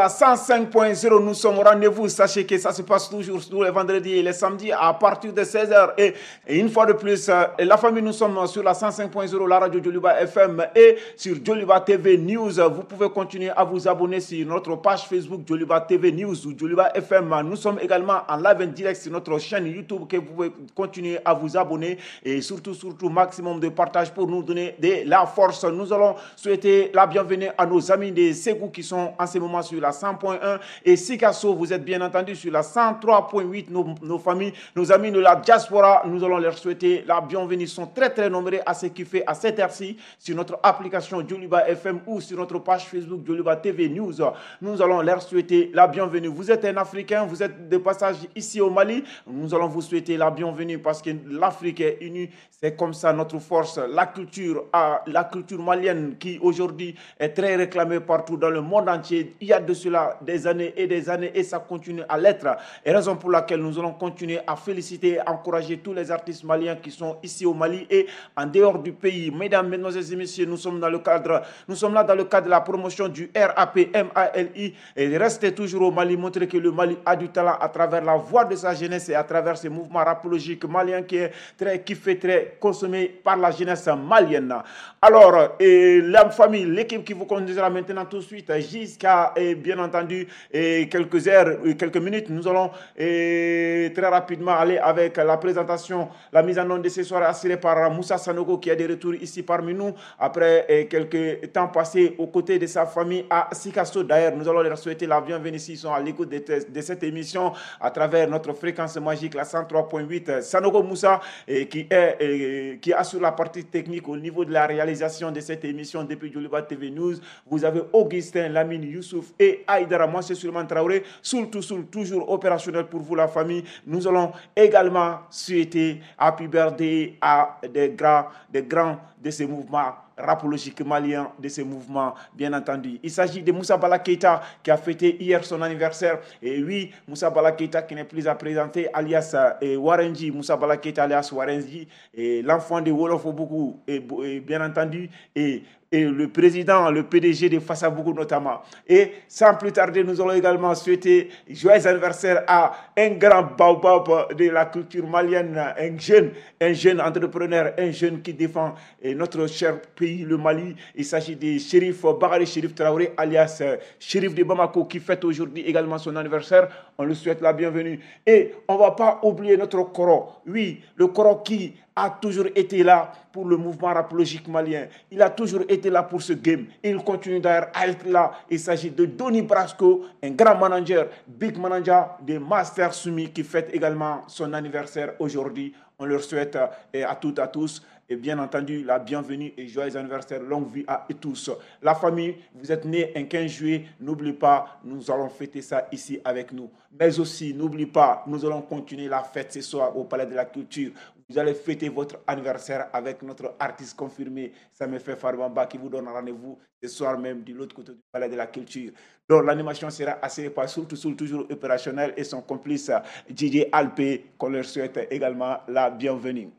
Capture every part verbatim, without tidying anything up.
la cent cinq point zéro. Nous sommes au rendez-vous. Sachez que ça se passe toujours tous les vendredis et les samedis à partir de seize heures. Et, et une fois de plus, la famille, nous sommes sur la cent cinq point zéro, la radio Djoliba F M et sur Djoliba T V News. Vous pouvez continuer à vous abonner sur notre page Facebook Djoliba T V News ou Djoliba F M. Nous sommes également en live en direct sur notre chaîne YouTube que vous pouvez continuer à vous abonner et surtout, surtout, maximum de partage pour nous donner de la force. Nous allons souhaiter la bienvenue à nos amis de Ségou qui sont en ce moment sur la cent point un et Sikasso, vous êtes bien entendu sur la cent trois point huit. Nos, nos familles, nos amis de la diaspora, nous allons leur souhaiter la bienvenue. Ils sont très très nombreux à se kiffer à cette heure-ci sur notre application Djoliba F M ou sur notre page Facebook Djoliba T V News. Nous allons leur souhaiter la bienvenue. Vous êtes un Africain, vous êtes de passage ici au Mali, nous allons vous souhaiter la bienvenue parce que l'Afrique est unie. C'est comme ça notre force, la culture, la culture malienne qui aujourd'hui est très réclamée partout dans le monde entier. Il y a de cela des années et des années et ça continue à l'être. Et raison pour laquelle nous allons continuer à féliciter et encourager tous les artistes maliens qui sont ici au Mali et en dehors du pays. Mesdames, Mesdemoiselles et Messieurs, nous sommes dans le cadre, nous sommes là dans le cadre de la promotion du R A P M A L I et restez toujours au Mali, montrer que le Mali a du talent à travers la voix de sa jeunesse et à travers ce mouvement rapologique malien qui est très kiffé, très consommé par la jeunesse malienne. Alors, et la famille, l'équipe qui vous conduira maintenant tout de suite jusqu'à, et bien entendu, et quelques heures, quelques minutes, nous allons et très rapidement aller avec la présentation, la mise en onde de ce soir assurée par Moussa Sanogo qui est de retour ici parmi nous après et quelques temps passés aux côtés de sa famille à Sikasso. D'ailleurs, nous allons leur souhaiter la bienvenue s'ils sont à l'écoute de, de cette émission à travers notre fréquence magique, la cent trois point huit. Sanogo Moussa, et qui, est, et, qui assure la partie technique au niveau de la réalisation de cette émission depuis Djoliba T V News. Vous avez Augustin, Lamine, Youssouf et Aïdara. Moi, c'est Souleymane Traoré, soul tout soul, toujours opérationnel pour vous, la famille. Nous allons également souhaiter happy birthday à des grands, des grands de ce mouvement rapologique malien, de ce mouvement, bien entendu. Il s'agit de Moussa Bala Keita qui a fêté hier son anniversaire. Et oui, Moussa Bala Keita qui n'est plus à présenter, alias et Warenji, Moussa Bala Keita alias Warenji, et l'enfant de Wolofobougou, et, et bien entendu, et et le président, le P D G de Fassabougou notamment. Et sans plus tarder, nous allons également souhaiter joyeux anniversaire à un grand baobab de la culture malienne, un jeune, un jeune entrepreneur, un jeune qui défend notre cher pays, le Mali. Il s'agit de Chérif Bakary Chérif Traoré, alias Chérif de Bamako, qui fête aujourd'hui également son anniversaire. On lui souhaite la bienvenue. Et on ne va pas oublier notre Koro. Oui, le Koro qui a toujours été là pour le mouvement rapologique malien. Il a toujours été là pour ce game. Il continue d'ailleurs à être là. Il s'agit de Donny Brasco, un grand manager, big manager de Master Sumi qui fête également son anniversaire aujourd'hui. On leur souhaite à toutes et à tous et bien entendu la bienvenue et joyeux anniversaire, longue vie à tous. La famille, vous êtes nés un quinze juillet, n'oubliez pas, nous allons fêter ça ici avec nous. Mais aussi, n'oubliez pas, nous allons continuer la fête ce soir au Palais de la Culture. Vous allez fêter votre anniversaire avec notre artiste confirmé, Samefé Farbamba, qui vous donne rendez-vous ce soir même de l'autre côté du Palais de la Culture. Donc l'animation sera assurée par Soul to Soul, toujours opérationnel, et son complice D J Alpé, qu'on leur souhaite également la bienvenue.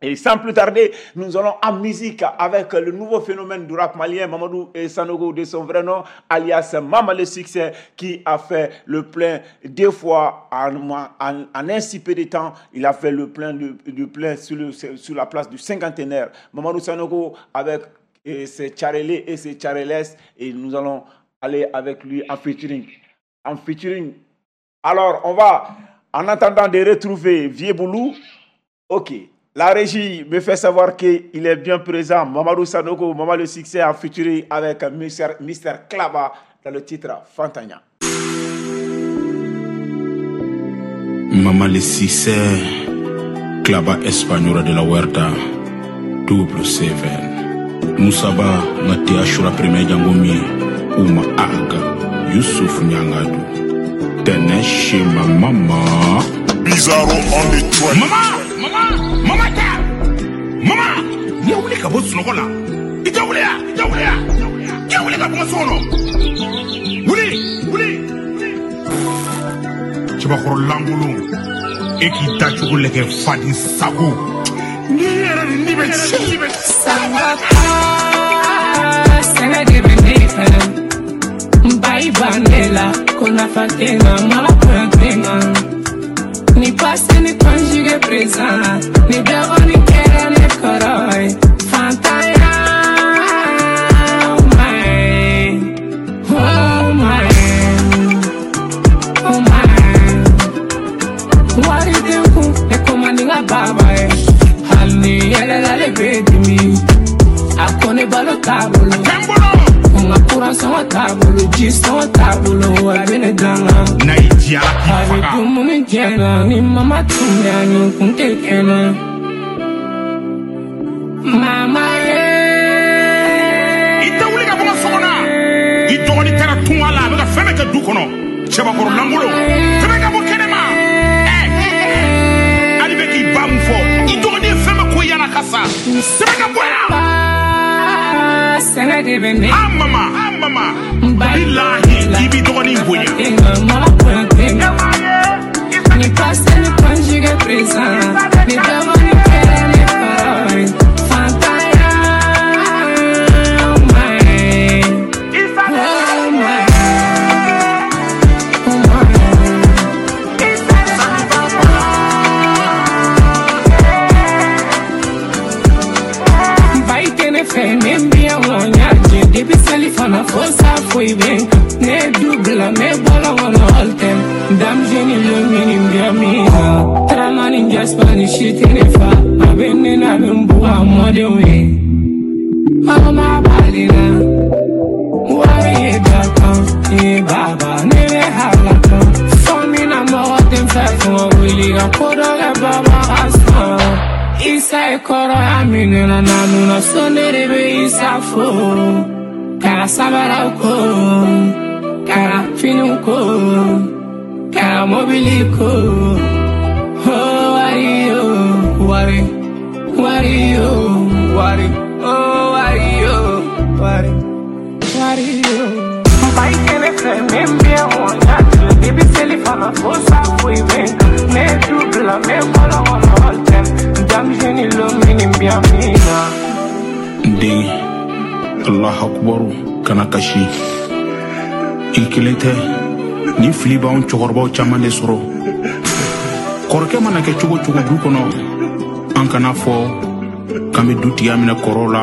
Et sans plus tarder, nous allons en musique avec le nouveau phénomène du rap malien, Mamadou Sanogo de son vrai nom, alias Mama le Succès, qui a fait le plein deux fois en, en, en un si peu de temps. Il a fait le plein, le, le plein sur, le, sur la place du cinquantenaire. Mamadou Sanogo avec et ses Tcharélés et ses Tcharélès, et nous allons aller avec lui en featuring. En featuring. Alors, on va, en attendant de retrouver Vieux Boulou, ok. La régie me fait savoir qu'il est bien présent. Mamadou Sanogo, Mamadou le Succès en featuring avec Mister, Mister Klaba dans le titre Fantagna. Maman le Succès, Klaba Espagnol de la Huerta, double seven. Moussaba, Ngati Ashura Premier Djangomi, Ouma Aga, Youssouf Nyangadou, Tene chez ma maman. Bizarro on the track. Maman! Maman! Maman ta! Maman! Ni a wuli ka bɔ sunɔgɔ la. I tɛ wuli ya! I tɛ wuli ya! I tɛ wuli ka bɔ n ka so kɔnɔ. Wuli! Wuli! Cɛbakɔrɔ lankolon, e k'i da cogo lajɛ faden sago. N'i yɛrɛ de ni bɛ ci. Sanga de bɛ ne fɛ, n ba i ban ne la. la ko nafa tɛ n kan mara bonya tɛ n kan ni passé ni conjugué présent ni dɔgɔnin kɛra ne kɔrɔ ye fantanya oh my oh my oh my wari tɛ n kun ne ko man di n ka baba ye hali ni yɛlɛla ale bɛ dimi a ko ne balo t'a bolo ko n ka kuran sɔngɔ t'a bolo ji sɔngɔ t'a bolo a bɛ ne danga n'a y'i diya ala k'i a bɛ faga dumuni jɛ na ni mama tun bɛ yan nin kun tɛ kɛ na mama ye i tɛ wuli ka bɔ n ka so kɔnɔ i dɔgɔnin taara tunga la a bɛ ka fɛn bɛɛ kɛ du kɔnɔ cɛbakɔrɔ lankolon fɛn bɛɛ ka bɔ kɛnɛma ɛ hali bɛ k'i ba mun fɔ i dɔgɔnin ye fɛn bɛɛ ko yala ka sa sɛbɛn ka bɔ yan ba sɛnɛ de bɛ ne a mama a mama bilahi i b'i dɔgɔnin bonya mara bonya tɛ n kan ni passé ni conjugué présent ni dɔgɔnin kɛra ne kɔrɔ ye fantanya oh my oh my oh my Bai tɛ ne fɛ ne bi yan wa n y'a jɛ depuis seli fana fo sa foyi bɛ n kan ne ye du bila n bɛ bɔlɔn kɔnɔ all time denmisɛnnin lo mini bi min na Taramani Jaspa ni si tɛ ne fa a bɛ ne na a bɛ n bugɔ a mɔdenw ye aw ma bali na wari ye dakan ye baba ne bɛ halaka fɔ min na mɔgɔ tɛ n fɛ fɔ ka wuli ka ko dɔ kɛ baba ka sɔn Isa ye kɔrɔya minɛ na nanu na so ne de bɛ Isa fo k'a sabaraw ko k'a finiw ko k'a mobili ko oh wari oh wari wari oh wari oh wari oh wari wari oh Bai tɛ ne fɛ ne bɛ yan wa n y'a jɛ depuis seli fana fo sa foyi bɛ n kan ne ye du bila n bɛ bɔlɔn kɔnɔ all time denmisɛnnin lo mini bi yan min na. N den alahu akubaru kana kasi i kelen tɛ ni fili b'anw cɛkɔrɔbaw caman de sɔrɔ kɔrɔkɛ mana kɛ cogo cogo du kɔnɔ an kana fɔ k'an bɛ dutigiya minɛ kɔrɔw la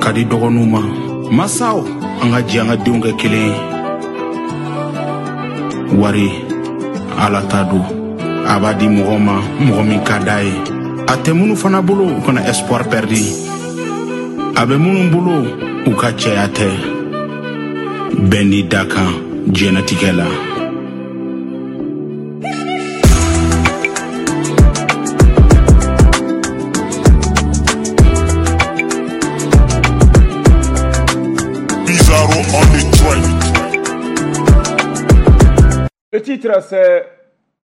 ka di dɔgɔninw ma masaw an ka jɛ an ka denw kɛ kelen ye wari ala ta don a b'a di mɔgɔ ma mɔgɔ min ka d'a ye a tɛ minnu fana bolo u kana espoir perdi a bɛ minnu bolo u ka cɛya tɛ bɛɛ n'i da kan diɲɛnatigɛ la. Bizarro on the track. Le titre, c'est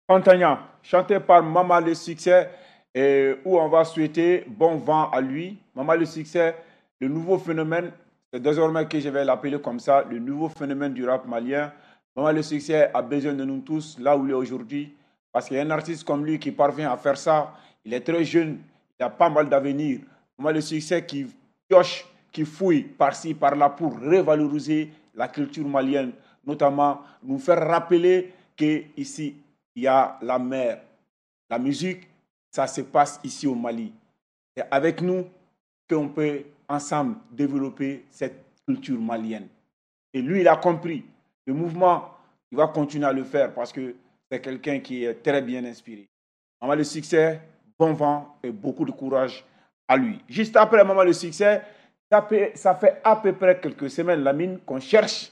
Fantanya, chanté par Mama le Succès, et où on va souhaiter bon vent à lui. Mama le Succès, le nouveau phénomène, c'est désormais que je vais l'appeler comme ça, le nouveau phénomène du rap malien. Mama le Succès a besoin de nous tous, là où il est aujourd'hui, parce qu'il y a un artiste comme lui qui parvient à faire ça. Il est très jeune, il a pas mal d'avenir. Mama le Succès qui pioche, qui fouille par-ci, par-là pour revaloriser la culture malienne, notamment nous faire rappeler qu'ici, il y a la mer. La musique, ça se passe ici au Mali. C'est avec nous qu'on peut ensemble développer cette culture malienne. Et lui, il a compris. Le mouvement, il va continuer à le faire parce que c'est quelqu'un qui est très bien inspiré. Mama le Succès, bon vent et beaucoup de courage à lui. Juste après Mama le Succès, ça fait, ça fait à peu près quelques semaines, Lamine, qu'on cherche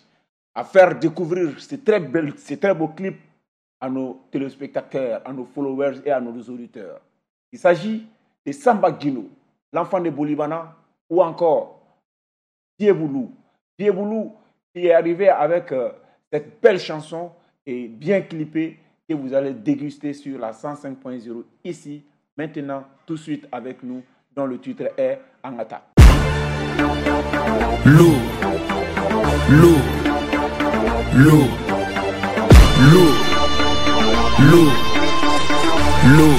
à faire découvrir ces très belles, ces très beaux clips à nos téléspectateurs, à nos followers et à nos auditeurs. Il s'agit de Samba Guino, l'enfant de Bolibana, ou encore Dieboulou. Dieboulou qui est arrivé avec euh, cette belle chanson et bien clippée que vous allez déguster sur la cent cinq point zéro ici, maintenant, tout de suite avec nous, dont le titre est Angata. L'eau, l'eau, l'eau, l'eau, l'eau, l'eau.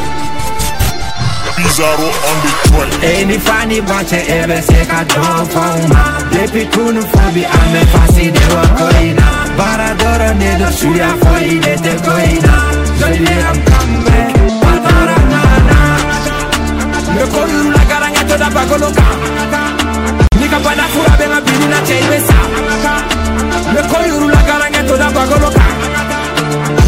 Bizarro on the track. E ni fa ni ba cɛ, e bɛ se ka dɔ fɔ n ma. Depuis kunu fo bi, an bɛ fasi de wa ko in na. Baara dɔrɔn de don, suya foyi de tɛ ko in na. Joli am kambe patara na na. N bɛ ko yuru la garankɛ to da bagolo kan. Ni ka bana fura bɛ n ka bini na cɛ, i bɛ sa. N bɛ ko yuru la garankɛ to da bagolo kan.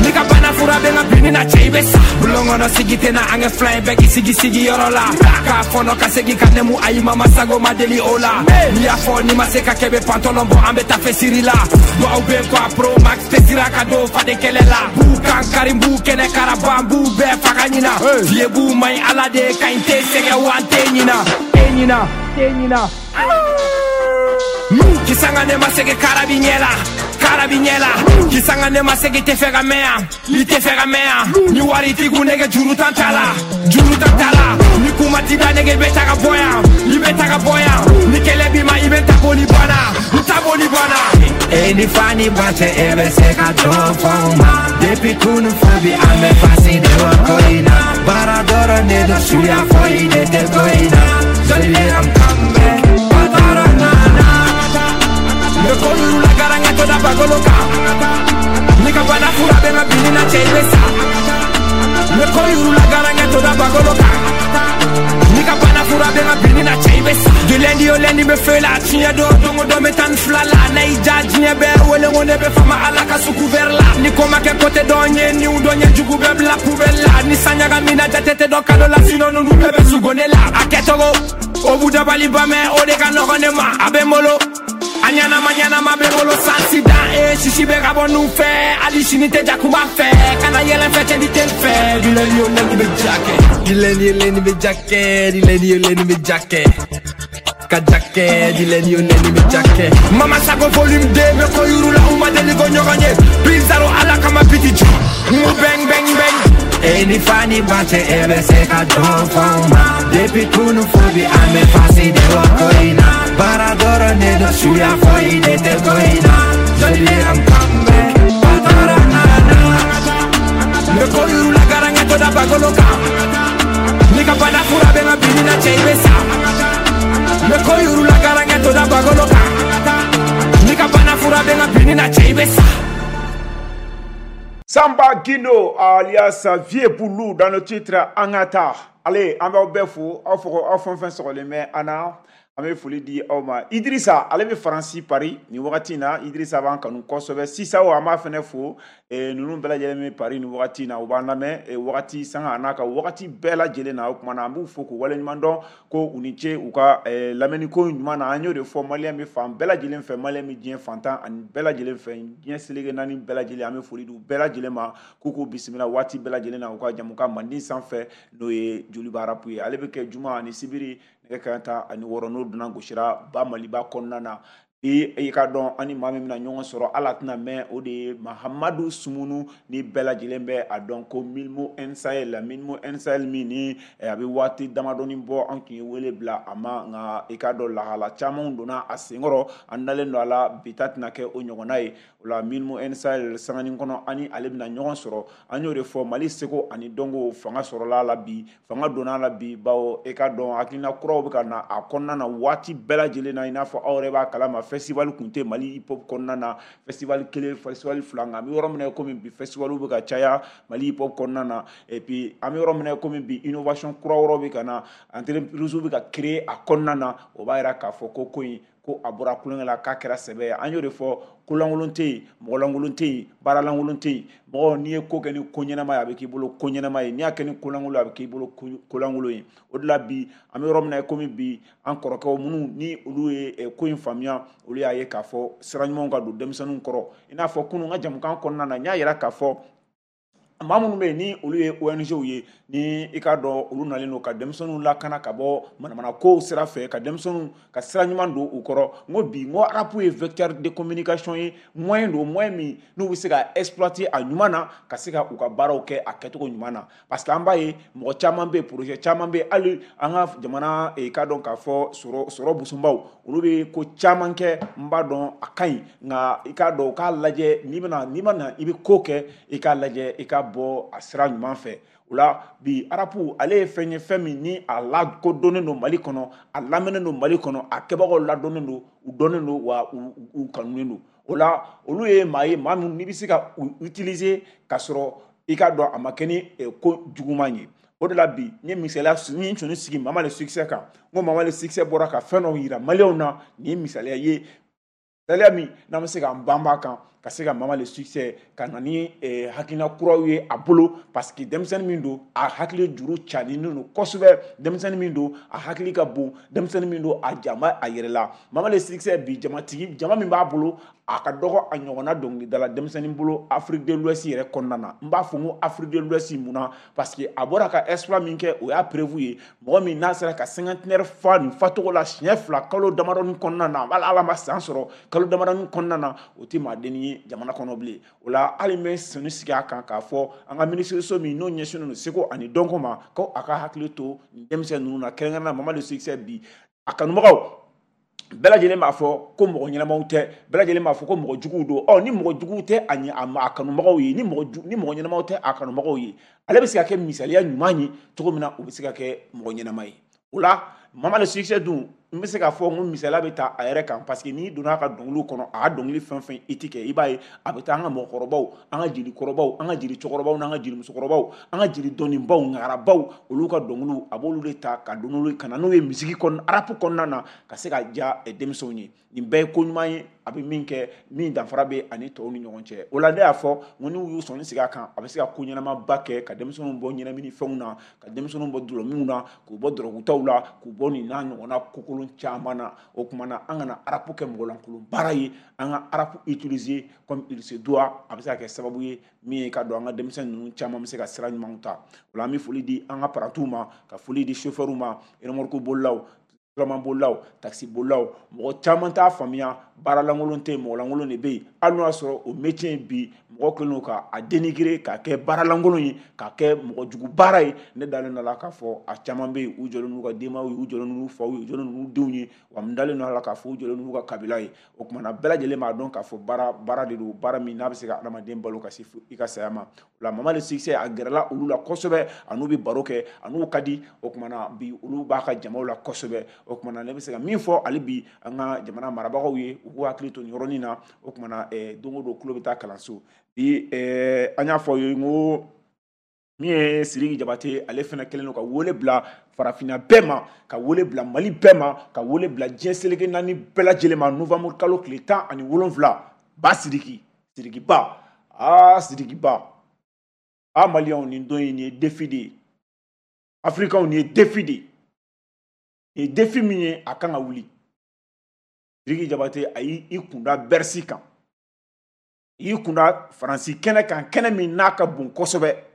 Ni ka bana fura bɛ n ka bini na cɛ, i bɛ sa. Bulon kɔnɔ sigi tɛ na, an kɛ fila ye bɛɛ k'i sigi sigiyɔrɔ la. K'a fɔnɔ ka segin ka nɛmu, ayi mama sago ma deli o la. N'i y'a fɔ n'i ma se ka kɛ, bɛ pantalon bɔ, an bɛ taa fɛ la. Duwawu bɛ kɔ a pro max tɛ sira ka don faden kɛlɛ la. B'u kan kari, b'u kɛnɛ karaba, b'u bɛɛ faga ɲina. Fiye b'u maɲi, ala de ka ɲi, tɛ sɛgɛn wa n tɛ ɲina. Tɛ ɲina, tɛ ɲina. Kisanga ne ma sege karabi ɲɛ la, karabi ɲɛ la. Kisanga ne ma sege tɛ fɛ ka mɛn yan, i tɛ fɛ ka mɛn yan. Ni wari t'i kun, nɛgɛ juru tan t'a la, juru tan t'a la. Ni kuma t'i da, nɛgɛ bɛ ta ka bɔ yan, i bɛ ta ka bɔ yan. Ni kɛlɛ b'i ma, i bɛ ta boli banna, i ta boli banna. E ni fa ni ba cɛ, e bɛ se ka dɔ fɔ n ma. Depuis kunu fo bi, an bɛ fasi de wa ko in na. Baara dɔrɔn de don, suya foyi de tɛ ko in na. Joli am kambe patara na na. N bɛ ko yuru la garankɛ to da bagolo kan. Ni ka bana fura bɛ n ka bini na cɛ, i bɛ sa. N bɛ ko yuru la garankɛ to da bagolo kan. Ni ka bana fura bɛ n ka bini na cɛ, i bɛ sa. Du lundi au lundi bɛ feu la, tiɲɛ don don o don bɛ tan ni fila la. N'a y'i ja diɲɛ bɛɛ wele ko ne bɛ fama ala ka sugu vert la. Ni ko ma kɛ côté dɔ ye, niw dɔ ɲɛ jugu bɛɛ bila poubelle la. Ni san ɲagamina jate tɛ dɔn kalo la, sinon ninnu bɛɛ bɛ sugo ne la. A kɛcogo o b'u dabali ban mɛ, o de ka nɔgɔn ne ma, a bɛ n bolo. A ɲanama ɲanama bɛ bolo sansi dan e sisi bɛ ka bɔ nun fɛ, hali sini tɛ jakuma fɛ. Kana yɛlɛ fɛ, cɛ ni tɛ n fɛ. Du lundi au lundi bɛ ja kɛ. Du lundi au lundi bɛ ja kɛ, du lundi au lundi bɛ ja kɛ. Ka ja kɛ, du lundi au lundi bɛ ja kɛ. Mama Sago volume deux, bɛ ko yuru la, u ma deli ko ɲɔgɔn ye. Bizarro ala kama biti jɔ. N ko bang bang bang. E ni fa ni ba cɛ, e bɛ se ka dɔ fɔ n ma. Depuis kunu fo bi, an bɛ fasi de wa ko in na. Baara dɔrɔn de don, suya foyi de tɛ ko in na. Joli am kambe patara na na. N bɛ ko yuru la garankɛ to da bagolo kan. Ni ka bana fura bɛ n ka bini na cɛ, i bɛ sa. N bɛ ko yuru la garankɛ to da bagolo kan. Ni ka bana fura bɛ n ka bini na cɛ, i bɛ sa. Samba Guindo alias Vieux Boulou dans le titre Angata. Allez, an b'aw bɛɛ fo, aw fɔ aw fɛn fɛn sɔgɔlen bɛ an na. An bɛ foli di aw ma. Idrissa, ale bɛ Faransi Paris nin wagati in na. Idrissa b'an kanu kosɛbɛ. Sisan o, an b'a fɛnɛ fo. Ninnu bɛɛ lajɛlen bɛ Paris nin wagati in na, u b'an lamɛn wagati sanga a n'a ka wagati bɛɛ lajɛlen na. O tuma na an b'u fo k'u waleɲuman dɔn ko u ni ce u ka lamɛnniko ɲuman na. An y'o de fɔ, maliyɛn bɛ fan bɛɛ lajɛlen fɛ, maliyɛn bɛ diɲɛ fantan ani bɛɛ lajɛlen fɛ, diɲɛ seleke naani bɛɛ lajɛlen. An bɛ foli di u bɛɛ lajɛlen ma k'u k'u bisimila waati bɛɛ lajɛlen na u ka jamukan mandi sanfɛ, n'o ye Joliba Rap ye. Ale bɛ kɛ juma ani sibiri nɛgɛ kanɲɛ tan ani wɔɔrɔ, n'o donna gosira ba Maliba kɔnɔna na. Bi i ka dɔn an ni maa min bɛna ɲɔgɔn sɔrɔ, ala tɛna mɛn, o de ye Mahamadu Sumunu ni bɛɛ lajɛlen bɛ a dɔn ko Milmo Nsahel. Milmo Nsahel min ni a bɛ waati damadɔni bɔ, an tun ye wele bila a ma, nka i ka dɔn lahala caman donna a senkɔrɔ, an dalen don a la bi ta tɛna kɛ o ɲɔgɔnna ye. O la Milmo Nsahel sanganin kɔnɔ an ni ale bɛna ɲɔgɔn sɔrɔ. An y'o de fɔ, Mali seko ani dɔnko fanga sɔrɔla a la bi, fanga donna a la bi, bawo e ka dɔn hakilina kuraw bɛ ka na a kɔnɔna na waati bɛɛ lajɛlen na. I n'a fɔ aw yɛrɛ b'a kalama, festival kun tɛ Mali hip hop kɔnɔna na, festival kelen, festival fila, nka an bɛ yɔrɔ min na komi bi festival bɛ ka caya Mali hip hop kɔnɔna na. Et puis an bɛ yɔrɔ min na komi bi innovation kura wɛrɛw bɛ ka na, entreprise bɛ ka créer a kɔnɔna na. O b'a yira k'a fɔ ko ko in ko a bɔra kulonkɛ la k'a kɛra sɛbɛ ye. An y'o de fɔ, kolankolon tɛ yen, mɔgɔlankolon tɛ yen, baaralankolon tɛ yen. Mɔgɔ n'i ye ko kɛ ni ko ɲɛnama ye, a bɛ k'i bolo ko ɲɛnama ye. N'i y'a kɛ ni kolankolon ye, a bɛ k'i bolo kolankolon ye. O de la bi an bɛ yɔrɔ min na komi bi, an kɔrɔkɛw minnu ni olu ye ko in faamuya, olu y'a ye k'a fɔ sira ɲumanw ka don denmisɛnninw kɔrɔ. I n'a fɔ kunun n ka jamukan kɔnɔna na, n y'a yira k'a fɔ maa minnu bɛ yen ni olu ye O N G ye, ni i k'a dɔn olu nalen don ka denmisɛnninw lakana ka bɔ manamana kow sira fɛ, ka denmisɛnninw ka sira ɲuman don u kɔrɔ. N ko bi, n ko rap ye vecteur de communication ye, moyen don, moyen min n'u bɛ se ka exploiter a ɲuman na, ka se ka u ka baaraw kɛ a kɛcogo ɲuman na. Parce que an b'a ye mɔgɔ caman bɛ yen, projet caman bɛ yen, hali an ka jamana i k'a dɔn k'a fɔ sɔrɔ sɔrɔ busunbaw, olu bɛ ko caman kɛ, n b'a dɔn a ka ɲi, nka i k'a dɔn u k'a lajɛ, n'i bɛna n'i ma na i bɛ ko kɛ, i k'a lajɛ i ka bɔ a sira ɲuman fɛ. O la bi rap ale ye fɛn ye, fɛn min ni a lakodɔnnen don Mali kɔnɔ, a lamɛnnen don Mali kɔnɔ, a kɛbagaw ladɔnnen don, u dɔnnen don, wa u u kanunen don. O la olu ye maa ye, maa min n'i bɛ se ka u utiliser k'a sɔrɔ i k'a dɔn a ma kɛ ni ko juguman ye. O de la bi n ye misaliya n ye sɔnni sigi Mama le Succès kan, n ko Mama le Succès bɔra ka fɛn dɔw yira maliyɛnw na. Nin ye misaliya ye, misaliya min n'an bɛ se k'an banba kan ka se ka Mama le Succès ka na ni hakilina kuraw ye a bolo, parce que denmisɛnnin min don, a hakili juru caaninen don kosɛbɛ, denmisɛnnin min don, a hakili ka bon, denmisɛnnin min don, a jama a yɛrɛ la. Mama le Succès bi jamatigi jama min b'a bolo, a ka dɔgɔ a ɲɔgɔnna dɔnkilidala denmisɛnnin bolo Afrique de l'Ouest yɛrɛ kɔnɔna na. N b'a fɔ n ko Afrique de l'Ouest mun na, parce que a bɔra ka exploit min kɛ, o y'a prévu ye. Mɔgɔ min n'a sera ka cinquantenaire fa nin facogo la siɲɛ fila kalo damadɔni kɔnɔna na, hali Ala ma san sɔrɔ kalo damadɔni kɔnɔna na, o tɛ maadennin ye jamana kɔnɔ bilen. O la hali n bɛ sɔnni sigi a kan k'a fɔ an ka minisiriso min n'o ɲɛsinnen don seko ani dɔnko ma, ko a ka hakili to nin denmisɛnnin ninnu na, kɛrɛnkɛrɛnnenya la Mama le Succès bi a kanubagaw bɛɛ lajɛlen b'a fɔ ko mɔgɔ ɲɛnamaw tɛ, bɛɛ lajɛlen b'a fɔ ko mɔgɔ juguw don. Ɔ ni mɔgɔ juguw tɛ a ɲɛ a kanubagaw ye, ni mɔgɔ ni mɔgɔ ɲɛnamaw tɛ a kanubagaw ye, ale bɛ se ka kɛ misaliya ɲuman ye cogo min na, o bɛ se ka kɛ mɔgɔ ɲɛnama ye. O la Mama le Succès dun, n bɛ se k'a fɔ n ko misaliya bɛ ta a yɛrɛ kan, parce que n'i donna a ka dɔnkiliw kɔnɔ, a ka dɔnkili fɛn fɛn i ti kɛ, i b'a ye a bɛ taa an ka mɔgɔkɔrɔbaw, an ka jelikɔrɔbaw, an ka jeli cɛkɔrɔbaw n'an ka jeli musokɔrɔbaw, an ka jeli dɔnnibaw, ŋarabaw, olu ka dɔnkiliw a b'olu de ta ka don n'olu ka na n'o ye misiki kɔnɔ, rap kɔnɔna na, ka se ka diya denmisɛnw ye. Nin bɛɛ ye ko ɲuman ye, a bɛ min kɛ min danfara bɛ ani tɔw ni ɲɔgɔn cɛ. O la ne y'a fɔ n ko n'u y'u sɔnni sigi a kan, a bɛ se ka ko ɲɛnamaba kɛ ka denmisɛnninw bɔ ɲɛnamini fɛnw na, ka denmisɛnninw bɔ dɔlɔminw na, k'u bɔ dɔrɔgutaw la, k'u bɔ nin n'a ɲɔgɔnna kokolon caman na. O tuma na an kana rap kɛ mɔgɔlankolon baara ye, an ka rap utiliser comme il se doit. A bɛ se ka kɛ sababu ye min ye ka don an ka denmisɛnnin ninnu caman bɛ se ka sira ɲumanw ta. O la an bɛ foli di an ka parantiw ma, ka foli di chauffeurs ma, remorque bolilaw, turaman bolilaw, taxi bolilaw. Mɔgɔ caman t'a faamuya, baara lankolon tɛ yen, mɔgɔ lankolon de bɛ yen. Hali n'o y'a sɔrɔ o métier bi mɔgɔ kɛlen don k'a dénigrer, k'a kɛ baara lankolon ye, k'a kɛ mɔgɔ jugu baara ye. Ne dalen don a la k'a fɔ a caman bɛ yen, u jɔlen n'u ka denbayaw ye, u jɔlen n'u faw ye, u jɔlen n'u denw ye, wa n dalen don a la k'a fɔ u jɔlen n'u ka kabila ye. O tuma na bɛɛ lajɛlen b'a dɔn k'a fɔ baara baara de don, baara min n'a bɛ se ka adamaden balo ka se i ka saya ma. O la Mama le Succès a gɛrɛla olu la kosɛbɛ, a n'u bɛ baro kɛ, a n'u ka di. O tuma na bi olu b'a ka jamaw la kosɛbɛ. O tuma na ne bɛ se ka min fɔ hali bi an ka jamana marabagaw ye, u k'u hakili to nin yɔrɔnin na. O tuma na don o don tulo bɛ taa kalanso bi. An y'a fɔ aw ye n ko min ye Sidiki Jabate, ale fana kɛlen don ka wele bila farafinna bɛɛ ma, ka wele bila Mali bɛɛ ma, ka wele bila diɲɛ seleke naani bɛɛ lajɛlen ma. Novembre kalo tile tan ani wolonwula, ba Sidiki, Sidiki ba, aa Sidiki ba, aa maliyɛnw, nin don in nin ye défi de ye, afirikɛnw nin ye défi de ye, nin ye défi min ye a kan ka wuli. Sidiki Jabate a y'i kunda Bercy kan, i y'i kunda Faransi kɛnɛ kan, kɛnɛ min n'a ka bon kosɛbɛ.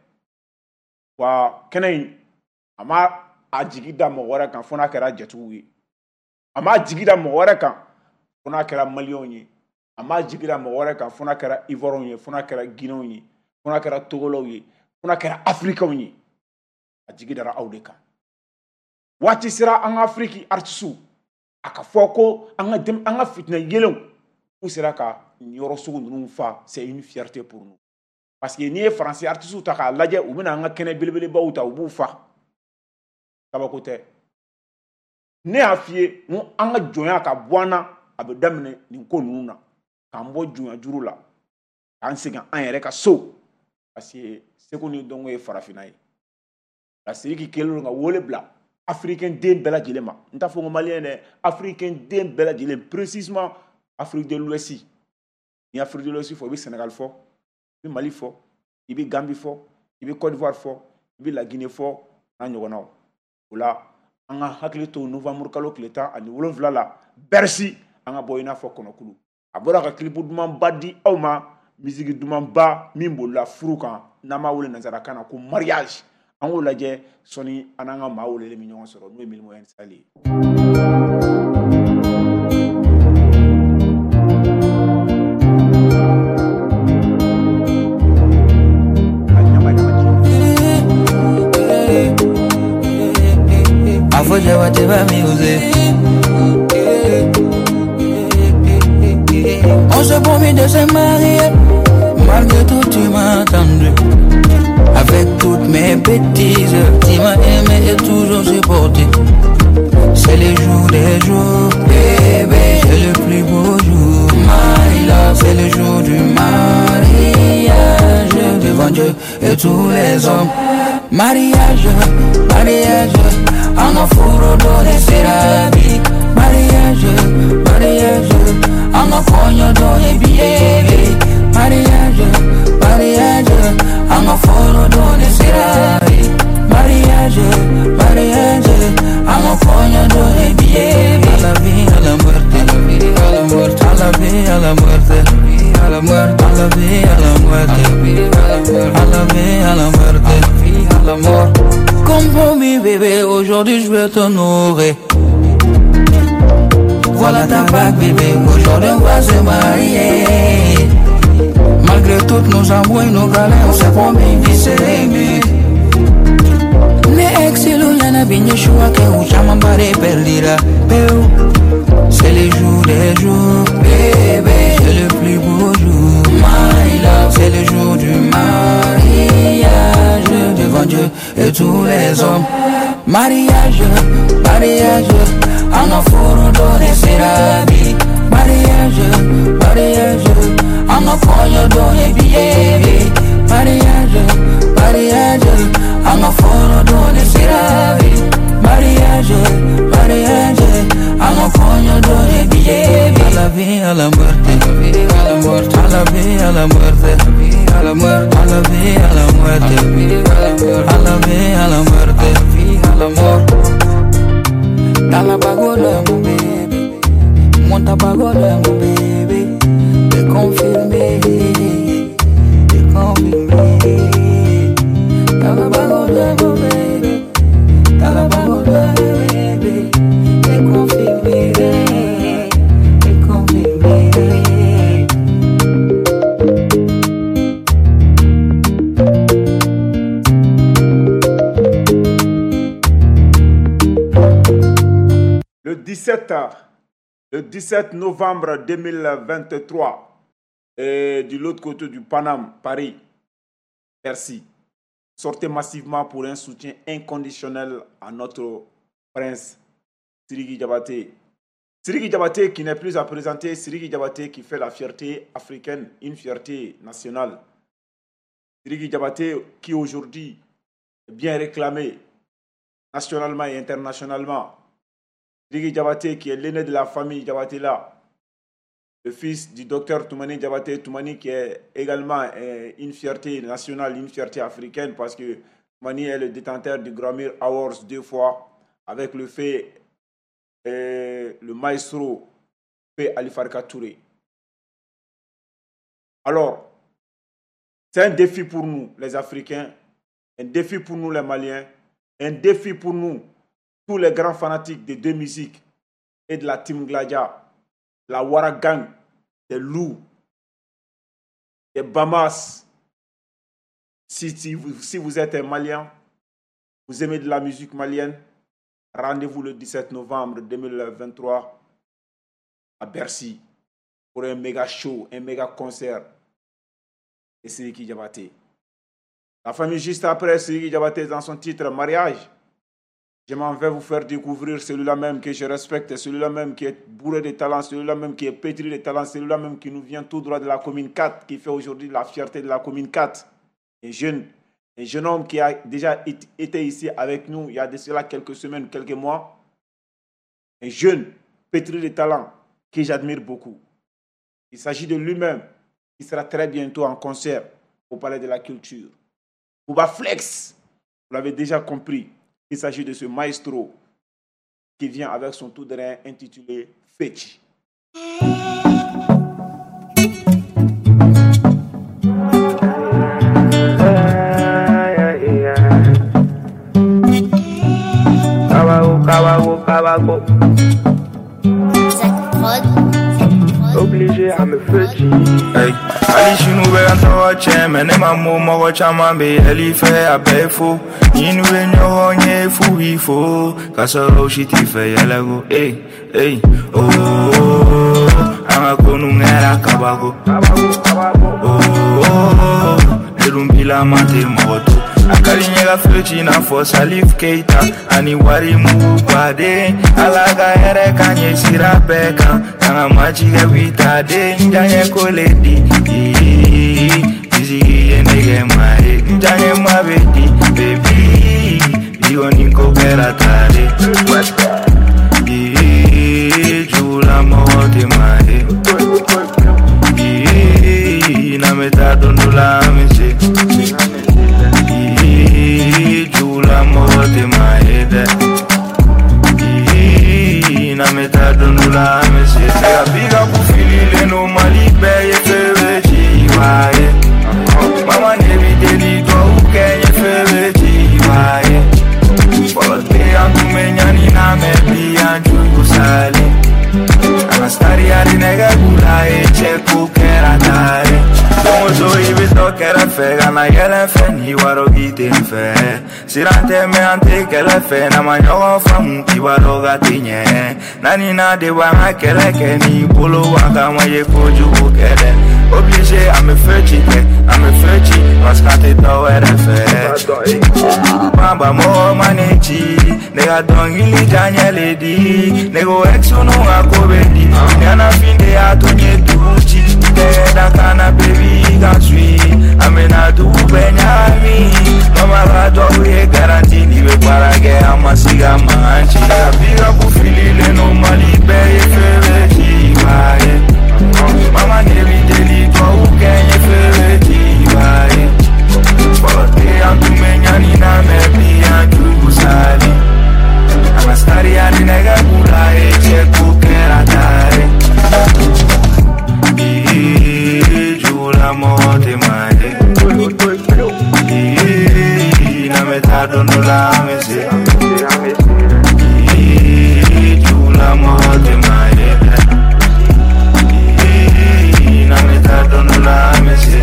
Wa kɛnɛ in a ma a jigi da mɔgɔ wɛrɛ kan fo n'a kɛra jatigiw ye, a ma jigi da mɔgɔ wɛrɛ kan fo n'a kɛra maliyɛnw ye, a ma jigi da mɔgɔ wɛrɛ kan fo n'a kɛra Ivoiriyɛnw ye, fo n'a kɛra Guinéenw ye, fo n'a kɛra Togolɛw ye, fo n'a kɛra Afirikɛnw ye. A jigi dara aw de kan. Waati sera an ka Afiriki artisiw a ka fɔ ko an ka dem an ka fitinɛ yelenw k'u sera ka nin yɔrɔ sugu ninnu fa, c'est une fierté pour nous. Parce que n'i ye Faransi artisiw ta k'a lajɛ, u bɛna an ka kɛnɛ belebelebaw ta, u b'u fa. Kabako tɛ. Ne y'a f'i ye n ko an ka jɔnya ka bɔ an na, a bɛ daminɛ nin ko ninnu na, k'an bɔ jɔnya juru la, k'an segin an yɛrɛ ka so. Parce que seko ni dɔnko ye farafinna ye. Nka Sidiki kɛlen don ka wele bila africain den bɛɛ lajɛlen ma. N t'a fɔ ko maliyɛn dɛ, africain den bɛɛ lajɛlen, précisément Afrique de l'Ouest. Ni Afrique de l'Ouest fɔ, i bɛ Sénégal fɔ, i bɛ Mali fɔ, i bɛ Gambie fɔ, i bɛ Côte d'Ivoire fɔ, i bɛ La Guinée fɔ, n'a ɲɔgɔnnaw. O la an ka hakili to novembre kalo tile tan ani wolonwula la Bercy, an ka bɔ i n'a fɔ kɔnɔkulu. A bɔra ka clip dumanba di aw ma, musique dumanba min bolila furu kan, n'an b'a wele nanzarakan na ko mariage. An k'o lajɛ sɔnni an n'an ka maa welelen bɛ ɲɔgɔn sɔrɔ, n'o ye Mylmo Sahel ye. On se promet de se marier, malgré tout tu m'as attendu. mes bêtises. Tu m'as aimé et toujours supporté. C'est les jours des jours, bébé, c'est le plus beau jour. My love, c'est le jour du mariage devant Dieu et tous les hommes. Mariage, mariage, en afro donné sera vie. Mariage, mariage, en afro donné billet. Mariage, mariage, en afro donné sera vie. Mariage, mariage, en afro donné billet. À la vie, à la muerte, à la muerte, à la vie, à la muerte, à la muerte, à la vie, à la muerte, à la vie, à la muerte, à la mort. Comme promis bébé, aujourd'hui je vais t'honorer. Voilà ta bague bébé, aujourd'hui on va se marier. Malgré toutes nos embrouilles, nos galères, on s'est promis de s'aimer. Ne exilu yana binye shua ke uchama mbare perdira. C'est les jours des jours, bébé, c'est le plus beau jour. My love, c'est le jour du mariage devant Dieu et tous les hommes. Mariage, mariage, en afro donné sera vie. Mariage, mariage, en afro donné billet. Mariage, mariage, en afro donné sera vie. Mariage, mariage, en afro donné billet. À la vie, à la muerte, à la muerte, à la vie, à la muerte, à la muerte, à la vie, à la muerte, à la vie, à la muerte, à la mort. Talabagola mon bébé, monta bagola mon bébé, te confirmé, te confirmé. Talabagola mon bébé, talabagola bébé, te confirmé, te confirmé. Le dix-sept, le dix-sept novembre deux mille vingt-trois, et de l'autre côté du Paname, Paris, Bercy, sortez massivement pour un soutien inconditionnel à notre prince Sidiki Diabaté. Sidiki Diabaté qui n'est plus à présenter, Sidiki Diabaté qui fait la fierté africaine, une fierté nationale. Sidiki Diabaté qui aujourd'hui est bien réclamé nationalement et internationalement. Sidiki Diabaté qui est l'aîné de la famille Diabaté là, le fils du docteur Toumani Diabaté, Toumani qui est également une fierté nationale, une fierté africaine parce que Toumani est le détenteur du Grammy Awards deux fois avec le fait euh, le maestro fait Ali Farka Touré. Alors, c'est un défi pour nous les Africains, un défi pour nous les Maliens, un défi pour nous tous les grands fanatiques des deux musiques et de la Team Gladia, la Wara Gang, des loups, des Bamas. Si, si, vous, si vous êtes un Malien, vous aimez de la musique malienne, rendez-vous le dix-sept novembre deux mille vingt-trois à Bercy pour un méga show, un méga concert. Et Sidiki Diabaté. La famille juste après, Sidiki Diabaté dans son titre Mariage. Je m'en vais vous faire découvrir celui-là même que je respecte, celui-là même qui est bourré de talent, celui-là même qui est pétri de talent, celui-là même qui nous vient tout droit de la commune quatre, qui fait aujourd'hui la fierté de la commune quatre. Un jeune, un jeune homme qui a déjà été ici avec nous il y a de cela quelques semaines, quelques mois. Un jeune pétri de talent que j'admire beaucoup. Il s'agit de lui-même qui sera très bientôt en concert au Palais de la Culture. Bouba Flex, vous l'avez déjà compris. Il s'agit de ce maestro qui vient avec son tout terrain intitulé Fetchi. Obligé à me fetcher. Hey, Ali sinu bɛ an tɔgɔ tiɲɛ mɛ ne ma mo mɔgɔ caman bɛ yɛlɛ i fɛ a bɛɛ ye fo ni n'u ye ɲɔgɔn ye f'u b'i fo k'a sɔrɔ u si t'i fɛ yɛlɛ ko ey ey oh an ka ko nun kɛra kabako oh ne dun bilama tɛ mɔgɔ to. A ka di n ye ka feu ci i n'a fɔ Salif Keita ani wari mugu baden. Ala ka hɛrɛ k'an ye sira bɛɛ kan, k'an ka majigɛ wita den. N diyaɲɛ ko le di, bisigi ye ne kɛ maa ye. N diyaɲɛ maa bɛ di, baby, bi kɔni ko kɛra ta de. Jugulamɔgɔ tɛ maa ye. N'an bɛ taa don dɔ la an bɛ se. Jugulamɔgɔ tɛ maa ye dɛ. N'an bɛ taa don dɔ la an bɛ se. Ne ka pick-up fililen don Mali bɛɛ ye feu bɛ ci i b'a ye. Mama ne b'i deli duwawu kɛ n ye feu bɛ ci i b'a ye. Fɔlɔ tɛ an tun bɛ ɲani na mɛ bi an jugu salen. An ka sariya ni nɛgɛ b'u la ye cɛ ko kɛra tare. Don o don i bɛ dɔ kɛrɛfɛ ka na yɛlɛ fɛ n'i b'a dɔn k'i tɛ n fɛ. Siran tɛ mɛ an tɛ kɛlɛ fɛ, n'an ma ɲɔgɔn faamu i b'a dɔn k'a tɛ ɲɛ. Naani na de b'an ka kɛlɛ kɛ n'i bolo b'a kama ye kojugu kɛ dɛ. Obligé an bɛ feu ci kɛ, an bɛ feu ci parce que an tɛ dɔ wɛrɛ fɛ. Banba mɔgɔ ma ne ci, ne ka dɔnkili diyaɲɛ le di. Ne ko ex ninnu ka ko bɛ di, ɲɛnafin de y'a to n ye dugu ci. Tɛgɛ da kan na baby i ka suit, an bɛna dugu bɛɛ ɲagami. Mama ka duwawu ye garantie, n'i bɛ baara kɛ an ma se ka mankan ci. Ne ka pick-up fililen don Mali bɛɛ ye feu bɛ ci i b'a ye. Mama ne b'i deli duwawu kɛ n ye feu bɛ ci i b'a ye. Fɔlɔ tɛ an tun bɛ ɲani na mɛ bi an jugu salen. An ka sariya ni nɛgɛ b'u la ye cɛ ko kɛra tare. Jugulamɔgɔ tɛ maa ye. N'an bɛ taa don dɔ la an bɛ se. Jugulamɔgɔ tɛ maa ye. N'an bɛ taa don dɔ la an bɛ se.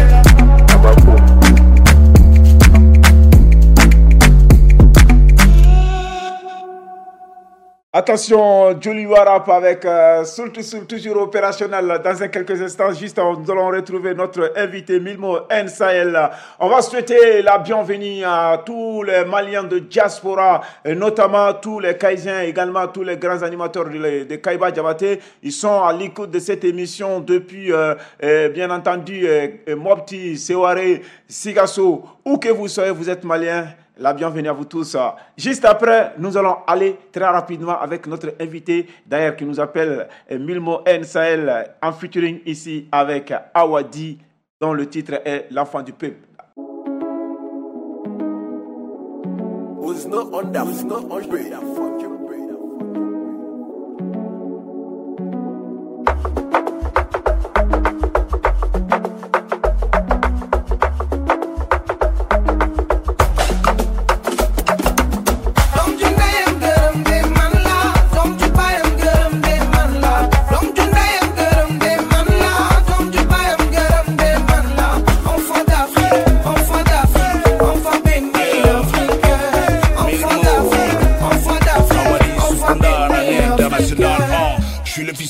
Attention, Joliba Rap avec euh, Soul to Soul, toujours opérationnel. Dans un quelques instants, juste, nous allons retrouver notre invité Mylmo N Sahel. On va souhaiter la bienvenue à tous les Maliens de diaspora, et notamment tous les Kaïsiens, également tous les grands animateurs de, de Kaïba Diabaté. Ils sont à l'écoute de cette émission depuis, euh, euh, bien entendu, euh, Mopti, Sévaré, Sikasso. Où que vous soyez, vous êtes Maliens. La bienvenue à vous tous. Juste après, nous allons aller très rapidement avec notre invité, d'ailleurs, qui nous appelle Mylmo N Sahel, en featuring ici avec Awadi, dont le titre est L'enfant du peuple.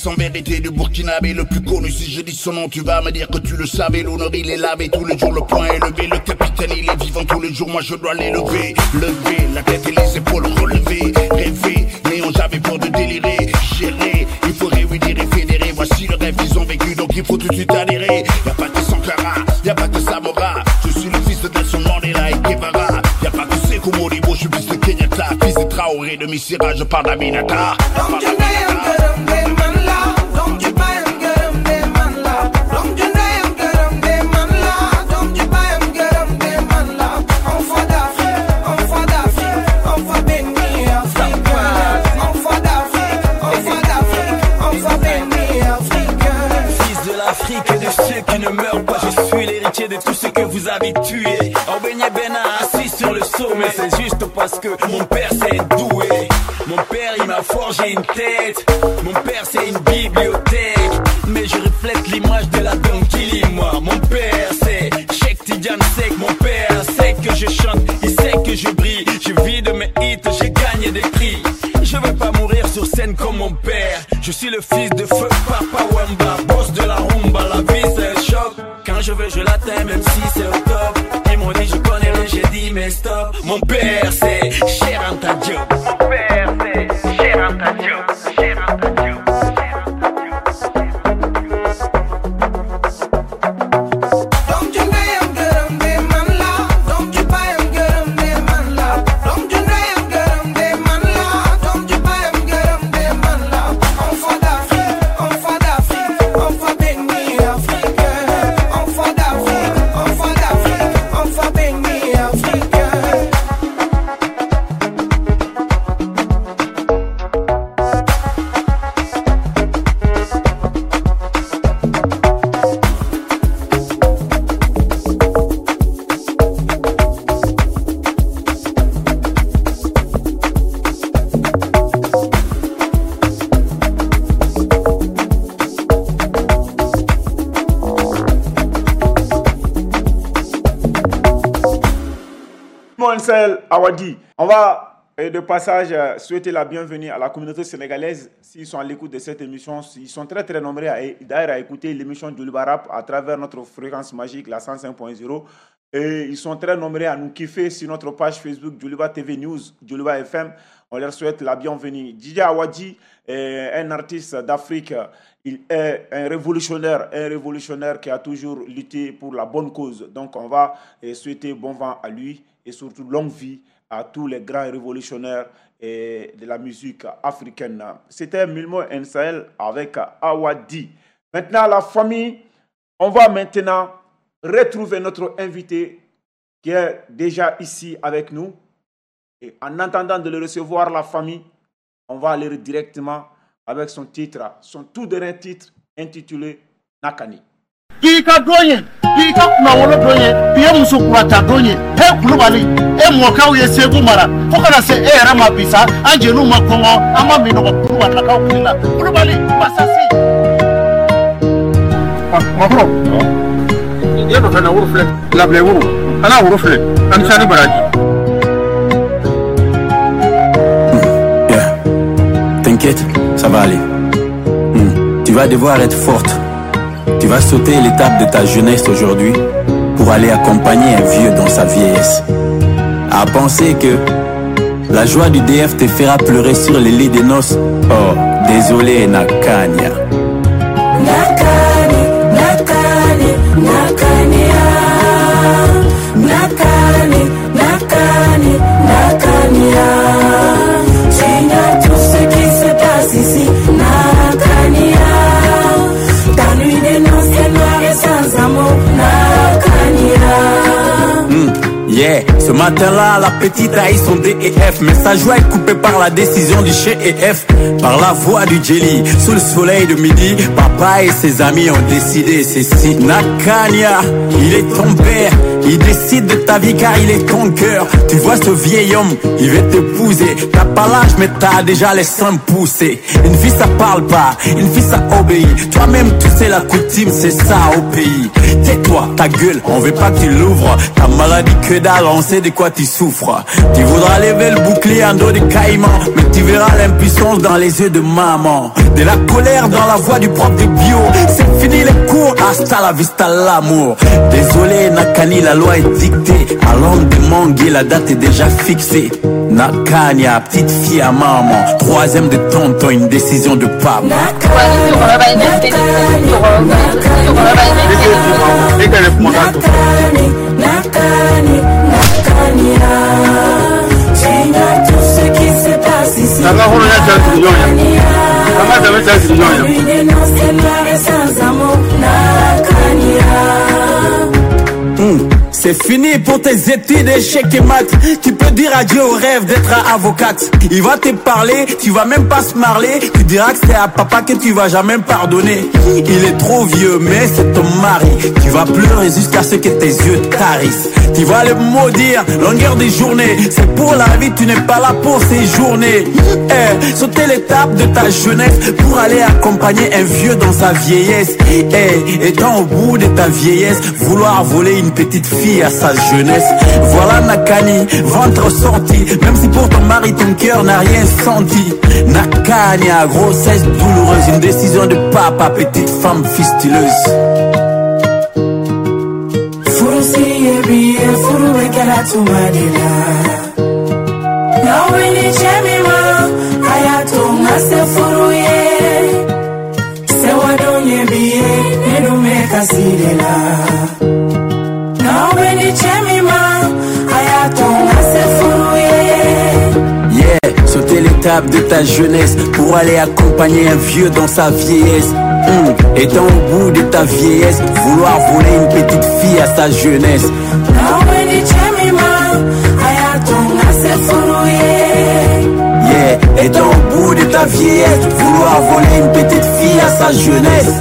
En vérité du Burkinabé le plus connu, si je dis son nom tu vas me dire que tu le savais. L'honneur il est lavé tous les jours, le poing est levé. Le capitaine il est vivant tous les jours, moi je dois l'élever. Lever la tête et les épaules relevées. Rêver, mais on j'avais peur de délirer. Gérer, il faut réunir et fédérer. Voici le rêve qu'ils ont vécu, donc il faut tout de suite adhérer. Y'a pas que Sankara, y'a pas que Samora. Je suis le fils de Nelson Mandela et Guevara. Y'a pas que Sékou Modibo, je suis fils de Kenyatta. Fils de Traoré, de Missira, je parle d'Aminata. De tout ce que vous avez tué. Obenye Bena assis sur le sommet, c'est juste parce que mon père c'est doué. Mon père il m'a forgé une tête. Mon père c'est une bibliothèque. Mais je reflète l'image de la Donkili, moi. Mon père c'est Cheikh Tidiane Seck. Mon père sait que je chante, il sait que je brille. Je vis de mes hits, j'ai gagné des prix. Je veux pas mourir sur scène comme mon père. Je suis le fils de feu Papa Wemba, boss de la rumba. La vie c'est un choc. Quand je veux je l'atteins même si c'est au top. Ils m'ont dit je connais rien, j'ai dit mais stop. Mon père c'est Cheikh Anta Diop. Mon père c'est Cheikh Anta Diop. Cheikh Anta Diop. Awadi, on va de passage souhaiter la bienvenue à la communauté sénégalaise. S'ils sont à l'écoute de cette émission, ils sont très très nombreux à, d'ailleurs à écouter l'émission Djoliba Rap à travers notre fréquence magique, la cent cinq point zéro. Et ils sont très nombreux à nous kiffer sur notre page Facebook Djoliba T V News, Djoliba F M. On leur souhaite la bienvenue. D J Awadi est un artiste d'Afrique. Il est un révolutionnaire, un révolutionnaire qui a toujours lutté pour la bonne cause. Donc on va souhaiter bon vent à lui et surtout longue vie à tous les grands révolutionnaires de la musique africaine. C'était Milmo N Sahel avec Awadi. Maintenant, la famille, on va maintenant retrouver notre invité qui est déjà ici avec nous. Et en attendant de le recevoir, la famille, on va aller directement avec son titre, son tout dernier titre intitulé Nakani. Bi ka don ye, bi ka kunnawolo don ye, bi ye muso kurata don ye. He Kulubali, e mɔkɛw ye Segu mara fo kana se e yɛrɛ ma bi sa, an jeliw ma kɔngɔ, an ma minɔgɔ Kulubalilakaw tile la. Kulubali masasi. Makɔrɔ, i ye nɔfɛ na woro filɛ, labilɛ woro, an n'a woro filɛ, an ni sani baraji. Yeah. T'inquiète, ça va aller. Hmm. Tu vas devoir être forte. Tu vas sauter l'étape de ta jeunesse aujourd'hui pour aller accompagner un vieux dans sa vieillesse. À penser que la joie du D F te fera pleurer sur les lits des noces. Oh, désolé Nakania. Nakani, Nakani, Nakania. Nakani, Nakani, Nakania. J'ignore tout ce qui se passe ici. Nakania. Ta nuit des noces est noire et sans amour. Nakania. Mm, yeah. Ce matin-là, la petite a eu son D E F, mais sa joie est coupée par la décision du chef, par la voix du jelly. Sous le soleil de midi, papa et ses amis ont décidé ceci. Nakania, il est ton père, il décide de ta vie car il est ton cœur. Tu vois ce vieil homme, il veut t'épouser. T'as pas l'âge mais t'as déjà les seins poussés. Une fille ça parle pas, une fille ça obéit. Toi-même tu sais la coutume, c'est ça au pays. Tais-toi, ta gueule, on veut pas que tu l'ouvres. Ta maladie que dalle, on sait de quoi tu souffres. Tu voudras lever le bouclier en dos de caïman, mais tu verras l'impuissance dans les yeux de maman. De la colère dans la voix du prof de bio. C'est fini les cours, hasta la vista l'amour. Désolé Nakani, la loi est dictée. À l'homme de Mangué, la date est déjà fixée. Nakania, petite fille à maman, troisième de tonton, une décision de papa. Nakani, Nakani, Nakania. J'ignore tout ce qui se passe ici. Nakania. Ta nuit des noces est noire et sans amour. Nakania. Mm. C'est fini pour tes études, échecs et maths. Tu peux dire adieu au rêve d'être avocate. Il va te parler, tu vas même pas se marler. Tu diras que c'est à papa que tu vas jamais pardonner. Il est trop vieux, mais c'est ton mari. Tu vas pleurer jusqu'à ce que tes yeux tarissent. Tu vas le maudire, longueur des journées. C'est pour la vie, tu n'es pas là pour ces journées. Eh, sauter l'étape de ta jeunesse pour aller accompagner un vieux dans sa vieillesse. Eh, étant au bout de ta vieillesse, vouloir voler une petite fille à sa jeunesse. Voilà Nakani, ventre sorti. Même si pour ton mari ton cœur n'a rien senti. Nakania, grossesse douloureuse, une décision de papa, petite femme fistuleuse. Furu si ye bi ye, furu bɛ kɛra tuma de la. kasi de la. N'aw bɛ ni cɛ min ma, a y'a to n ka se furu ye. Yeah, sauter l'étape de ta jeunesse pour aller accompagner un vieux dans sa vieillesse. Mmh. Étant au bout de ta vieillesse, vouloir voler une petite fille à sa jeunesse. N'aw bɛ ni cɛ min ma, a y'a to n ka se furu ye. Yeah, étant au bout de ta vieillesse, vouloir voler une petite fille à sa jeunesse.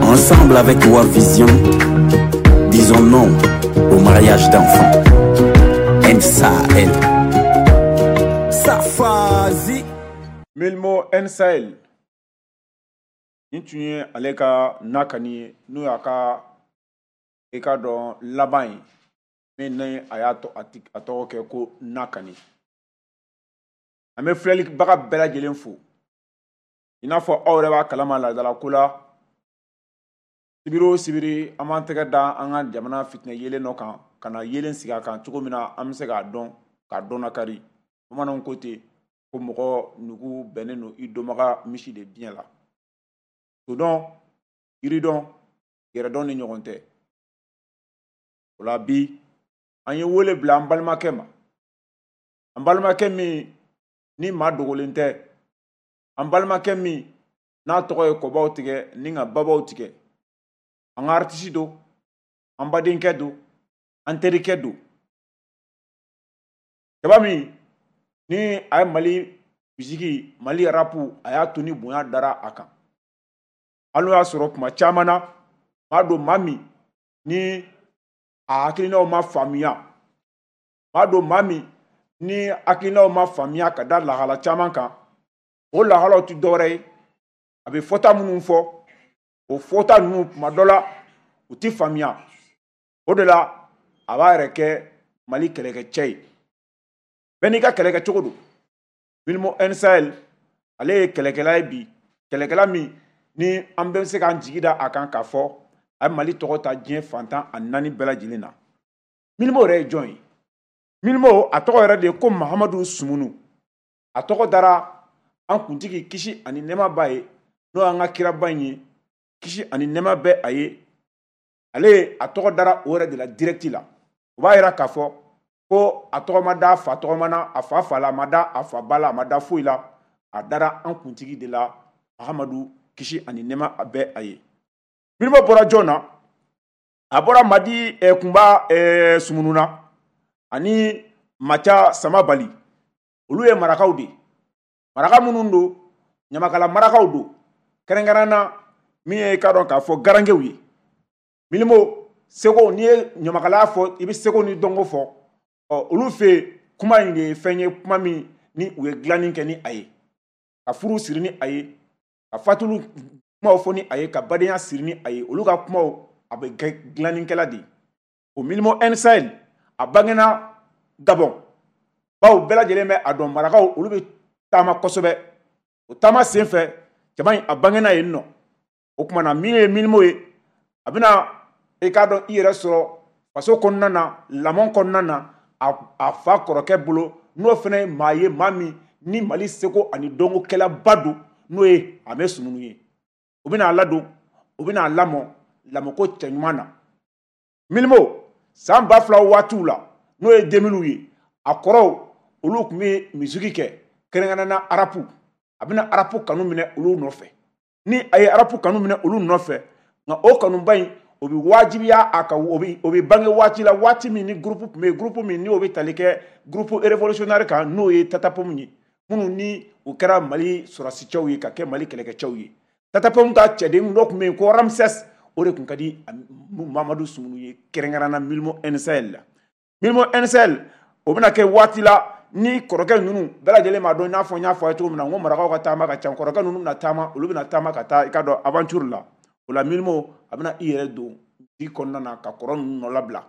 Ensemble avec World Vision, disons non au mariage d'enfants. N S A L. Safazi. Mylmo N Sahel nin tun ye ale ka nakani ye, n'o y'a ka i ka dɔn laban ye min ni a y'a to a ti- a tɔgɔ kɛ ko nakani. An bɛ filɛlibaga bɛɛ lajɛlen fo. I n'a fɔ aw yɛrɛ b'a kalama laadala ko la, sibiri o sibiri an b'an tɛgɛ da an ka jamana fitinɛ yelen dɔ kan ka na yelen sigi a kan cogo min na an bɛ se k'a dɔn k'a dɔn nakari. Bamananw ko ten ko mɔgɔ nugu bɛnnen don i dɔnbaga misi de biɲɛ la. Todɔn, yiridɔn, yɛrɛdɔn ni ɲɔgɔn tɛ. O la bi an ye wele bila an balimakɛ ma, an balimakɛ min ni maa dogolen tɛ, an balimakɛ min n'a tɔgɔ ye kɔbaw tigɛ ni ka babaw tigɛ. An ka artiste don, an badenkɛ don, an terikɛ don, cɛba min ni a ye Mali musique, Mali rap, a y'a to ni bonya dara a kan. Hali n'o y'a sɔrɔ tuma caman na maa don, maa min ni a hakilinaw ma faamuya, maa don, maa min ni hakilinaw ma faamuya ka da lahala caman kan. O lahalaw tɛ dɔwɛrɛ ye, a bɛ fɔta minnu fɔ, o fɔta ninnu tuma dɔ la u tɛ faamuya. O de la a b'a yɛrɛ kɛ Mali kɛlɛkɛcɛ ye. Bɛɛ n'i ka kɛlɛkɛcogo don. Mylmo N Sahel, ale ye kɛlɛkɛla ye bi, kɛlɛkɛla min ni an bɛ se k'an jigi da a kan k'a fɔ a ye Mali tɔgɔ ta diɲɛ fantan a naani bɛɛ lajɛlen na. Mylmo yɛrɛ ye jɔn ye? Mylmo, a tɔgɔ yɛrɛ de ye ko Mahamadu Sumunu. A tɔgɔ dara an kuntigi, kisi ani nɛɛma b'a ye, n'o y'an ka kiraba in ye, kisi ani nɛɛma bɛ a ye. Ale a tɔgɔ dara o yɛrɛ de la direct la. O b'a yira k'a fɔ ko a tɔgɔ ma da a fa tɔgɔma na, a fa fa la, a ma da a fa ba la, a ma da foyi la. A dara an kuntigi de la, Mahamadu, kisi ani nɛɛma a bɛ a ye. Mylmo bɔra jɔn na? A bɔra Madi eh, Kunba eh, Sumunu na ani Maca Samabali. Olu ye marakaw de ye, maraka minnu don, ɲamakala marakaw don, kɛrɛnkɛrɛn na min ye i k'a dɔn k'a fɔ garankɛw ye. Mylmo seko, n'i ye ɲamakalaya fɔ, i bɛ seko ni dɔnko fɔ. Ɔ olu fɛ yen, kuma in de ye fɛn ye, kuma min ni u ye dilanni kɛ ni a ye, ka furu siri ni a ye, ka fatulu kumaw fɔ ni a ye, ka badenya siri ni a ye. Olu ka kumaw a bɛ kɛ dilannikɛla de ye. O Mylmo N Sahel, a bangena Gabɔn, bawo bɛɛ lajɛlen bɛ a dɔn marakaw olu bɛ taama kosɛbɛ. O taama sen fɛ, jama in a bangena yen nɔ. O tuma na min ye Mylmo ye, a bɛna i k'a dɔn i yɛrɛ sɔrɔ faso kɔnɔna na, lamɔ kɔnɔna na, a, a fa kɔrɔkɛ bolo, n'o fana ye maa ye, maa min ni Mali seko ani dɔnkokɛlaba don, n'o ye Ame Sumunu ye. O bɛna a ladon, o bɛna a lamɔ lamɔko cɛɲuman na. Mylmo, san ba fila waatiw la, n'o ye deux mille ye, a kɔrɔw olu tun bɛ musique kɛ, kɛrɛnkɛrɛnnenya la rap. A bɛna rap kanu minɛ olu nɔfɛ. Ni a ye rap kanu minɛ olu nɔfɛ, nka o kanuba in o bɛ wajibiya a kan, o bɛ o bɛ bange waati la, waati min ni groupe tun bɛ yen, groupe min ni o bɛ tali kɛ groupe révolutionnaire kan, n'o ye Tatapom ye, minnu ni u kɛra Mali sɔrɔsicɛw ye ka kɛ Mali kɛlɛkɛcɛw ye. Tatapom ka cɛden dɔ tun bɛ yen ko Ramsès, o de tun ka di Mamadu Sumunu ye, kɛrɛnkɛrɛnnenya Mylmo N Sahel la. Mylmo N Sahel, o bɛna kɛ waati la ni kɔrɔkɛ ninnu bɛɛ lajɛlen b'a dɔn, i n'a fɔ n y'a fɔ a ye cogo min na n ko marakaw ka taama ka ca. Kɔrɔkɛ ninnu bɛna taama, olu bɛna taama ka taa i ka dɔn aventure la. O la Mylmo a bɛna i yɛrɛ don di kɔnɔna na ka kɔrɔ ninnu nɔ labila.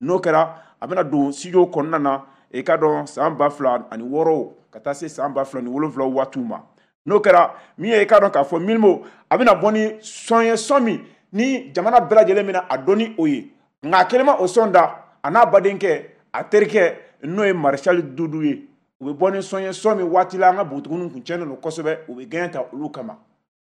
N'o kɛra, a bɛna don studio kɔnɔna na, i ka dɔn san ba fila ani wɔɔrɔ ka taa se san ba fila ni wolonwula waatiw ma. N'o kɛra min ye, i ka dɔn k'a fɔ Mylmo a bɛna bɔ ni son ye, son min ni jamana bɛɛ lajɛlen bɛna a dɔn ni o ye. Nka a kelen ma o son da, a n'a badenkɛ, a terikɛ, n'o ye Maréchal Dudu ye, u bɛ bɔ ni son ye, son min waati la an ka npogotigininw kun cɛnnen don kosɛbɛ, u bɛ gɛn ta olu kama.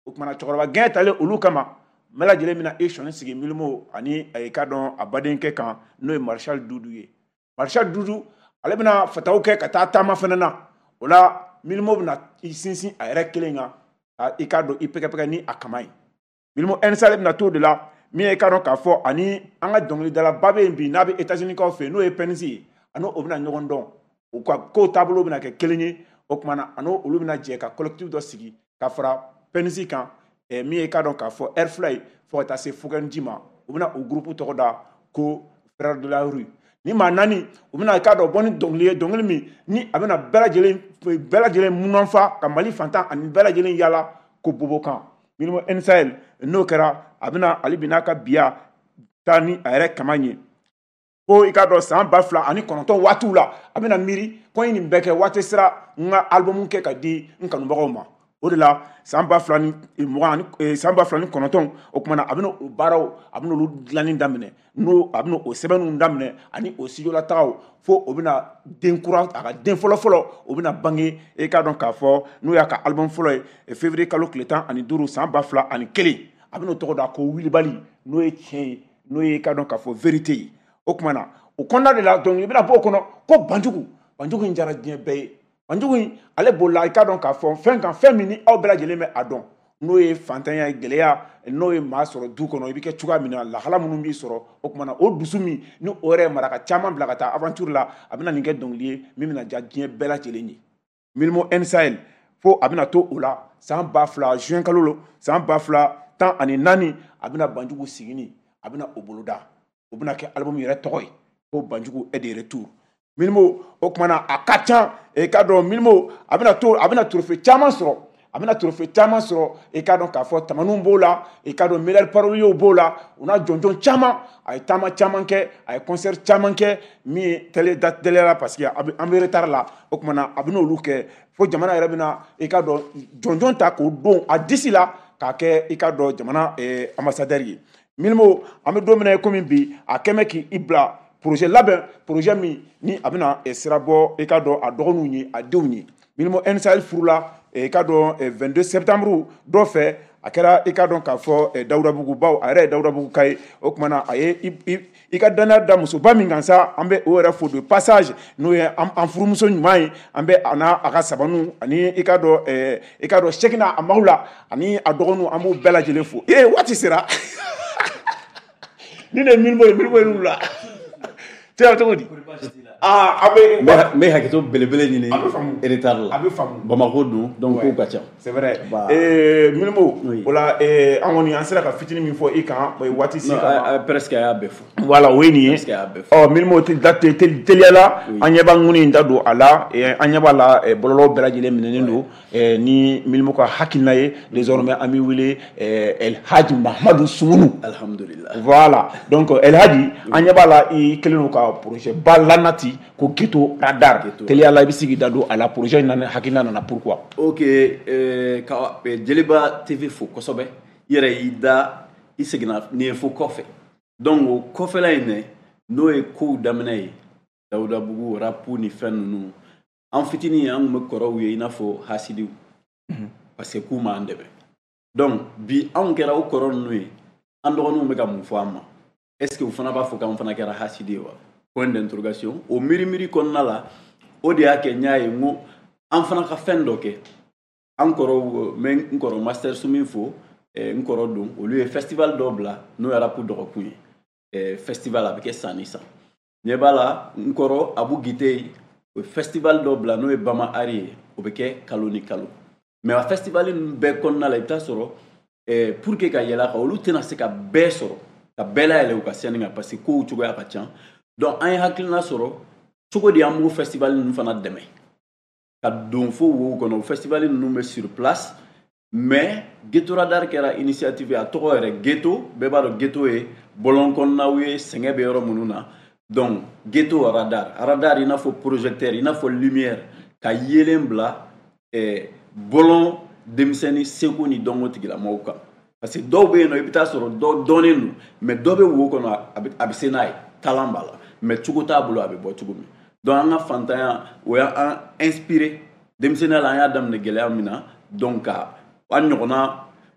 O kumana cɛkɔrɔba gɛn talen olu kama, bɛɛ lajɛlen bɛna e sɔnni sigi Mylmo ani i ka dɔn a badenkɛ kan n'o ye Marshal Dudu ye. Marshal Dudu ale bɛna fataw kɛ ka taa taama fana na. O la Mylmo bɛna i sinsin a yɛrɛ kelen kan i ka dɔn i pɛgɛpɛgɛ ni a kama ye. Mylmo N Sahel bɛna t'o de la min ye i ka dɔn k'a fɔ ani an ka dɔnkilidalaba bɛ yen bi n'a bɛ États-Unis kaw fɛ yen n'o ye Pɛnisi ye, ani o bɛna ɲɔgɔn dɔn, u ka kow taabolo bɛna kɛ kelen ye. O tuma na ani olu bɛna jɛ ka collectif dɔ sigi ka fara Pɛnisi kan min ye i ka dɔn k'a fɔ Air Fly fo ka taa se Fugɛnji ma. U bɛna o groupe tɔgɔ da ko Frères de la rue. Ni maa naani u bɛna i ka dɔn bɔ ni dɔnkili ye, dɔnkili min ni a bɛna bɛɛ lajɛlen bɛɛ lajɛlen munanfa ka Mali fantan ani bɛɛ lajɛlen yala ko bobokan. Mylmo N Sahel n'o kɛra a bɛna ale bi n'a ka biya taa ni a yɛrɛ kama ye. Ko i ka dɔn san ba fila ani kɔnɔntɔn waatiw la a bɛna miiri ko n ye nin bɛɛ kɛ waati sera n ka album kɛ ka di n kanubagaw ma. O de la san ba fila ni mugan ani san ba fila ni kɔnɔntɔn o tuma na a bɛna o baaraw a bɛna olu dilanni daminɛ, n'o a bɛna o sɛbɛnniw daminɛ ani o studio latagaw fo o bɛna den kura a ka den fɔlɔ fɔlɔ o bɛna bange i k'a dɔn k'a fɔ n'o y'a ka album fɔlɔ ye février kalo tile tan ani duuru san ba fila ani kelen. A bɛna o tɔgɔ da ko Wulibali n'o ye tiɲɛ ye, n'o ye i k'a dɔn k'a fɔ vérité ye. O tuma na o kɔnɔna de la dɔnkili bɛna bɔ o kɔnɔ ko Banjugu. Banjugu in diyara diɲɛ bɛɛ ye. Banjugu in ale bolila i k'a dɔn k'a fɔ fɛn kan fɛn min ni aw bɛɛ lajɛlen bɛ a dɔn n'o ye fantanya ye, gɛlɛya n'o ye maa sɔrɔ du kɔnɔ i bɛ kɛ cogoya min na, lahala minnu b'i sɔrɔ. O tuma na o dusu min ni o yɛrɛ ye maraka caman bila ka taa aventure la, a bɛna nin kɛ dɔnkili ye min bɛna diya diɲɛ bɛɛ lajɛlen ye. Mylmo N Sahel fo a bɛna to o la san ba fila juin kalo san ba fila tan ani naani a bɛna Banjugu sigini a bɛna o boloda, o bɛna kɛ album yɛrɛ tɔgɔ ye ko Banjugu est de retour. Mylmo o tuma na a ka ca i k'a dɔn Mylmo a bɛna to a bɛna trophée caman sɔrɔ, a bɛna trophée caman sɔrɔ i k'a dɔn k'a fɔ tamaninw b'o la, i k'a dɔn meilleur parolier b'o la, u n'a jɔnjɔn caman. A ye taama caman kɛ, a ye concert caman kɛ min ye télé da télé la parce que an bɛ retard la. O tuma na a bɛna olu kɛ fo jamana yɛrɛ bɛna i k'a dɔn jɔnjɔn ta k'o don a disi la k'a kɛ i k'a dɔn jamana ambassadeur ye. Mylmo an bɛ don min na i komi bi a kɛn bɛ k'i bila projet labɛn, projet min ni a bɛna sira bɔ i k'a dɔn a dɔgɔninw ye a denw ye. Mylmo N Sahel furula i k'a dɔn vingt-deux septembre dɔ fɛ a kɛra i k'a dɔn k'a fɔ Dawudabugu baw a yɛrɛ ye Dawudabugu ka ye. O tuma na a ye i ka danaya da musoba min kan sa, an bɛ o yɛrɛ fo de passage n'o ye an furumuso ɲuman ye. An bɛ a n'a a ka sabaniw ani i k'a dɔn i k'a dɔn Sekina a maaw la ani a dɔgɔninw an b'u bɛɛ lajɛlen fo. Ee waati sera ni ne ye Mylmo ye, Mylmo ye n'u la cɛ cogo di? Ah, a bɛ n bɛ hakɛto belebele ɲini retard la. A bɛ faamu. Bamakɔ dun donc kow ka ca. C'est vrai. Ee Mylmo o la an kɔni an sera ka fitinin min fɔ i kan waati si kama. Presque a y'a bɛɛ fɔ. Voilà o ye nin ye. Presque a y'a bɛɛ fɔ. Ɔ Mylmo teliya la an ɲɛ b'a ŋuni in da don a la, an ɲɛ b'a la bɔlɔlɔ bɛɛ lajɛlen minɛnen don ni Mylmo ka hakilina ye. Désormais an b'i wele El Hadji Mahamadu Sumunu. Alhamdulillah. Voilà donc El Hadji an ɲɛ b'a la i kɛlen don ka projet ba lanati ko Ghetto Radar. Teliya la i bɛ se k'i da don a la projet in nana hakilina nana pourquoi? Ok euh, ka Joliba T V fo kosɛbɛ. I yɛrɛ y'i da i seginna nin ye fo kɔfɛ. Donc o kɔfɛla in dɛ n'o ye kow daminɛ ye Dawudabugu rap ni fɛn ninnu an fitinin an tun bɛ kɔrɔw ye i n'a fɔ hasidiw parce que k'u m'an dɛmɛ. Donc bi anw kɛra o kɔrɔ ninnu ye an dɔgɔninw bɛ ka mun fɔ an ma? Est ce que u fana b'a fɔ k'an fana kɛra hasidi ye wa? Point d'interrogation. O miiri miiri kɔnɔna la o de y'a kɛ n y'a ye n ko an fana ka fɛn dɔ kɛ. An kɔrɔw n bɛ n kɔrɔ Master Sumi fo, n kɔrɔ don olu ye festival dɔ bila n'o ye rap dɔgɔkun ye. Festival a bɛ kɛ san ni san. Ɲɛ b'a la n kɔrɔ Abu Gite o ye festival dɔ bila n'o ye Bama Ari ye, o bɛ kɛ kalo ni kalo. Mais a festival ninnu bɛɛ kɔnɔna la i bɛ taa sɔrɔ pour que ka yɛlɛ a kan olu tɛna se ka bɛɛ sɔrɔ ka bɛɛ layɛlɛ u ka scène kan parce que kow cogoya ka ca. Donc an ye hakilina sɔrɔ cogo di an b'o festival ninnu fana dɛmɛ ka don fo wow kɔnɔ. O festival ninnu bɛ sur place mais Ghetto Radar kɛra initiative ye. A tɔgɔ yɛrɛ ghetto, bɛɛ b'a dɔn ghetto ye bɔlɔn kɔnɔnaw ye, sɛgɛn bɛ yɔrɔ minnu na. Donc ghetto radar, radar i n'a fɔ projecteur, i n'a fɔ lumière ka yeelen bila eh, bɔlɔn denmisɛnnin seko ni dɔnko tigilamɔgɔw kan. Parce que dɔw bɛ yen nɔ i bɛ taa sɔrɔ dɔ dɔnnen don mais dɔ bɛ wo kɔnɔ a bɛ se n'a ye talent b'a la mais cogo t'a bolo a bɛ bɔ cogo min. Donc an ka fantanya o y'an inspiré denmisɛnninya la, an y'a daminɛ gɛlɛya min na donc ka an ɲɔgɔnna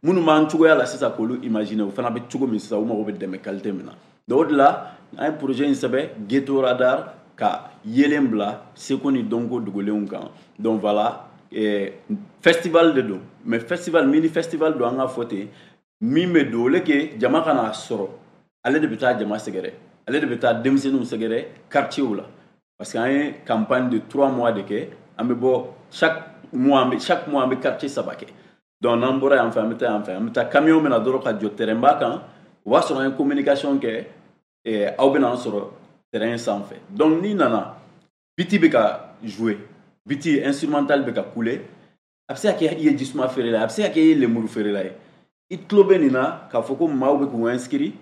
Minnu b'an cogoya la sisan k'olu imaginer, o fana bɛ cogo min sisan, u mago bɛ dɛmɛ qualité min na. Donc o de la an ye projet in sɛbɛn Ghetto Radar, ka yelen bila seko ni dɔnko dogolenw kan. Donc voilà, eh, festival de don, mais festival, mini festival don, an ka fɔ ten. Min bɛ don, au lieu que jama ka n'a sɔrɔ, ale de bɛ taa jama sɛgɛrɛ, ale de bɛ taa denmisɛnninw sɛgɛrɛ quartier la, parce que an ye campagne de trois mois de kɛ. An bɛ bɔ chaque mois, an bɛ chaque mois an bɛ quartier saba kɛ. Donc n'an bɔra yan fɛ, an bɛ taa yan fɛ, an bɛ taa. Camion bɛna dɔrɔn ka jɔ terrain ba kan, o b'a sɔrɔ an ye communication kɛ, eh, aw bɛna an sɔrɔ terrain sanfɛ. Donc n'i nana, beat bɛ ka jouer, beat instrumental bɛ ka couler, a bɛ se ka kɛ i ye jisuma feerela ye, a bɛ se ka kɛ i ye lemuru feerela ye, i tulo bɛ nin na k'a fɔ ko maaw bɛ k'u inscrit,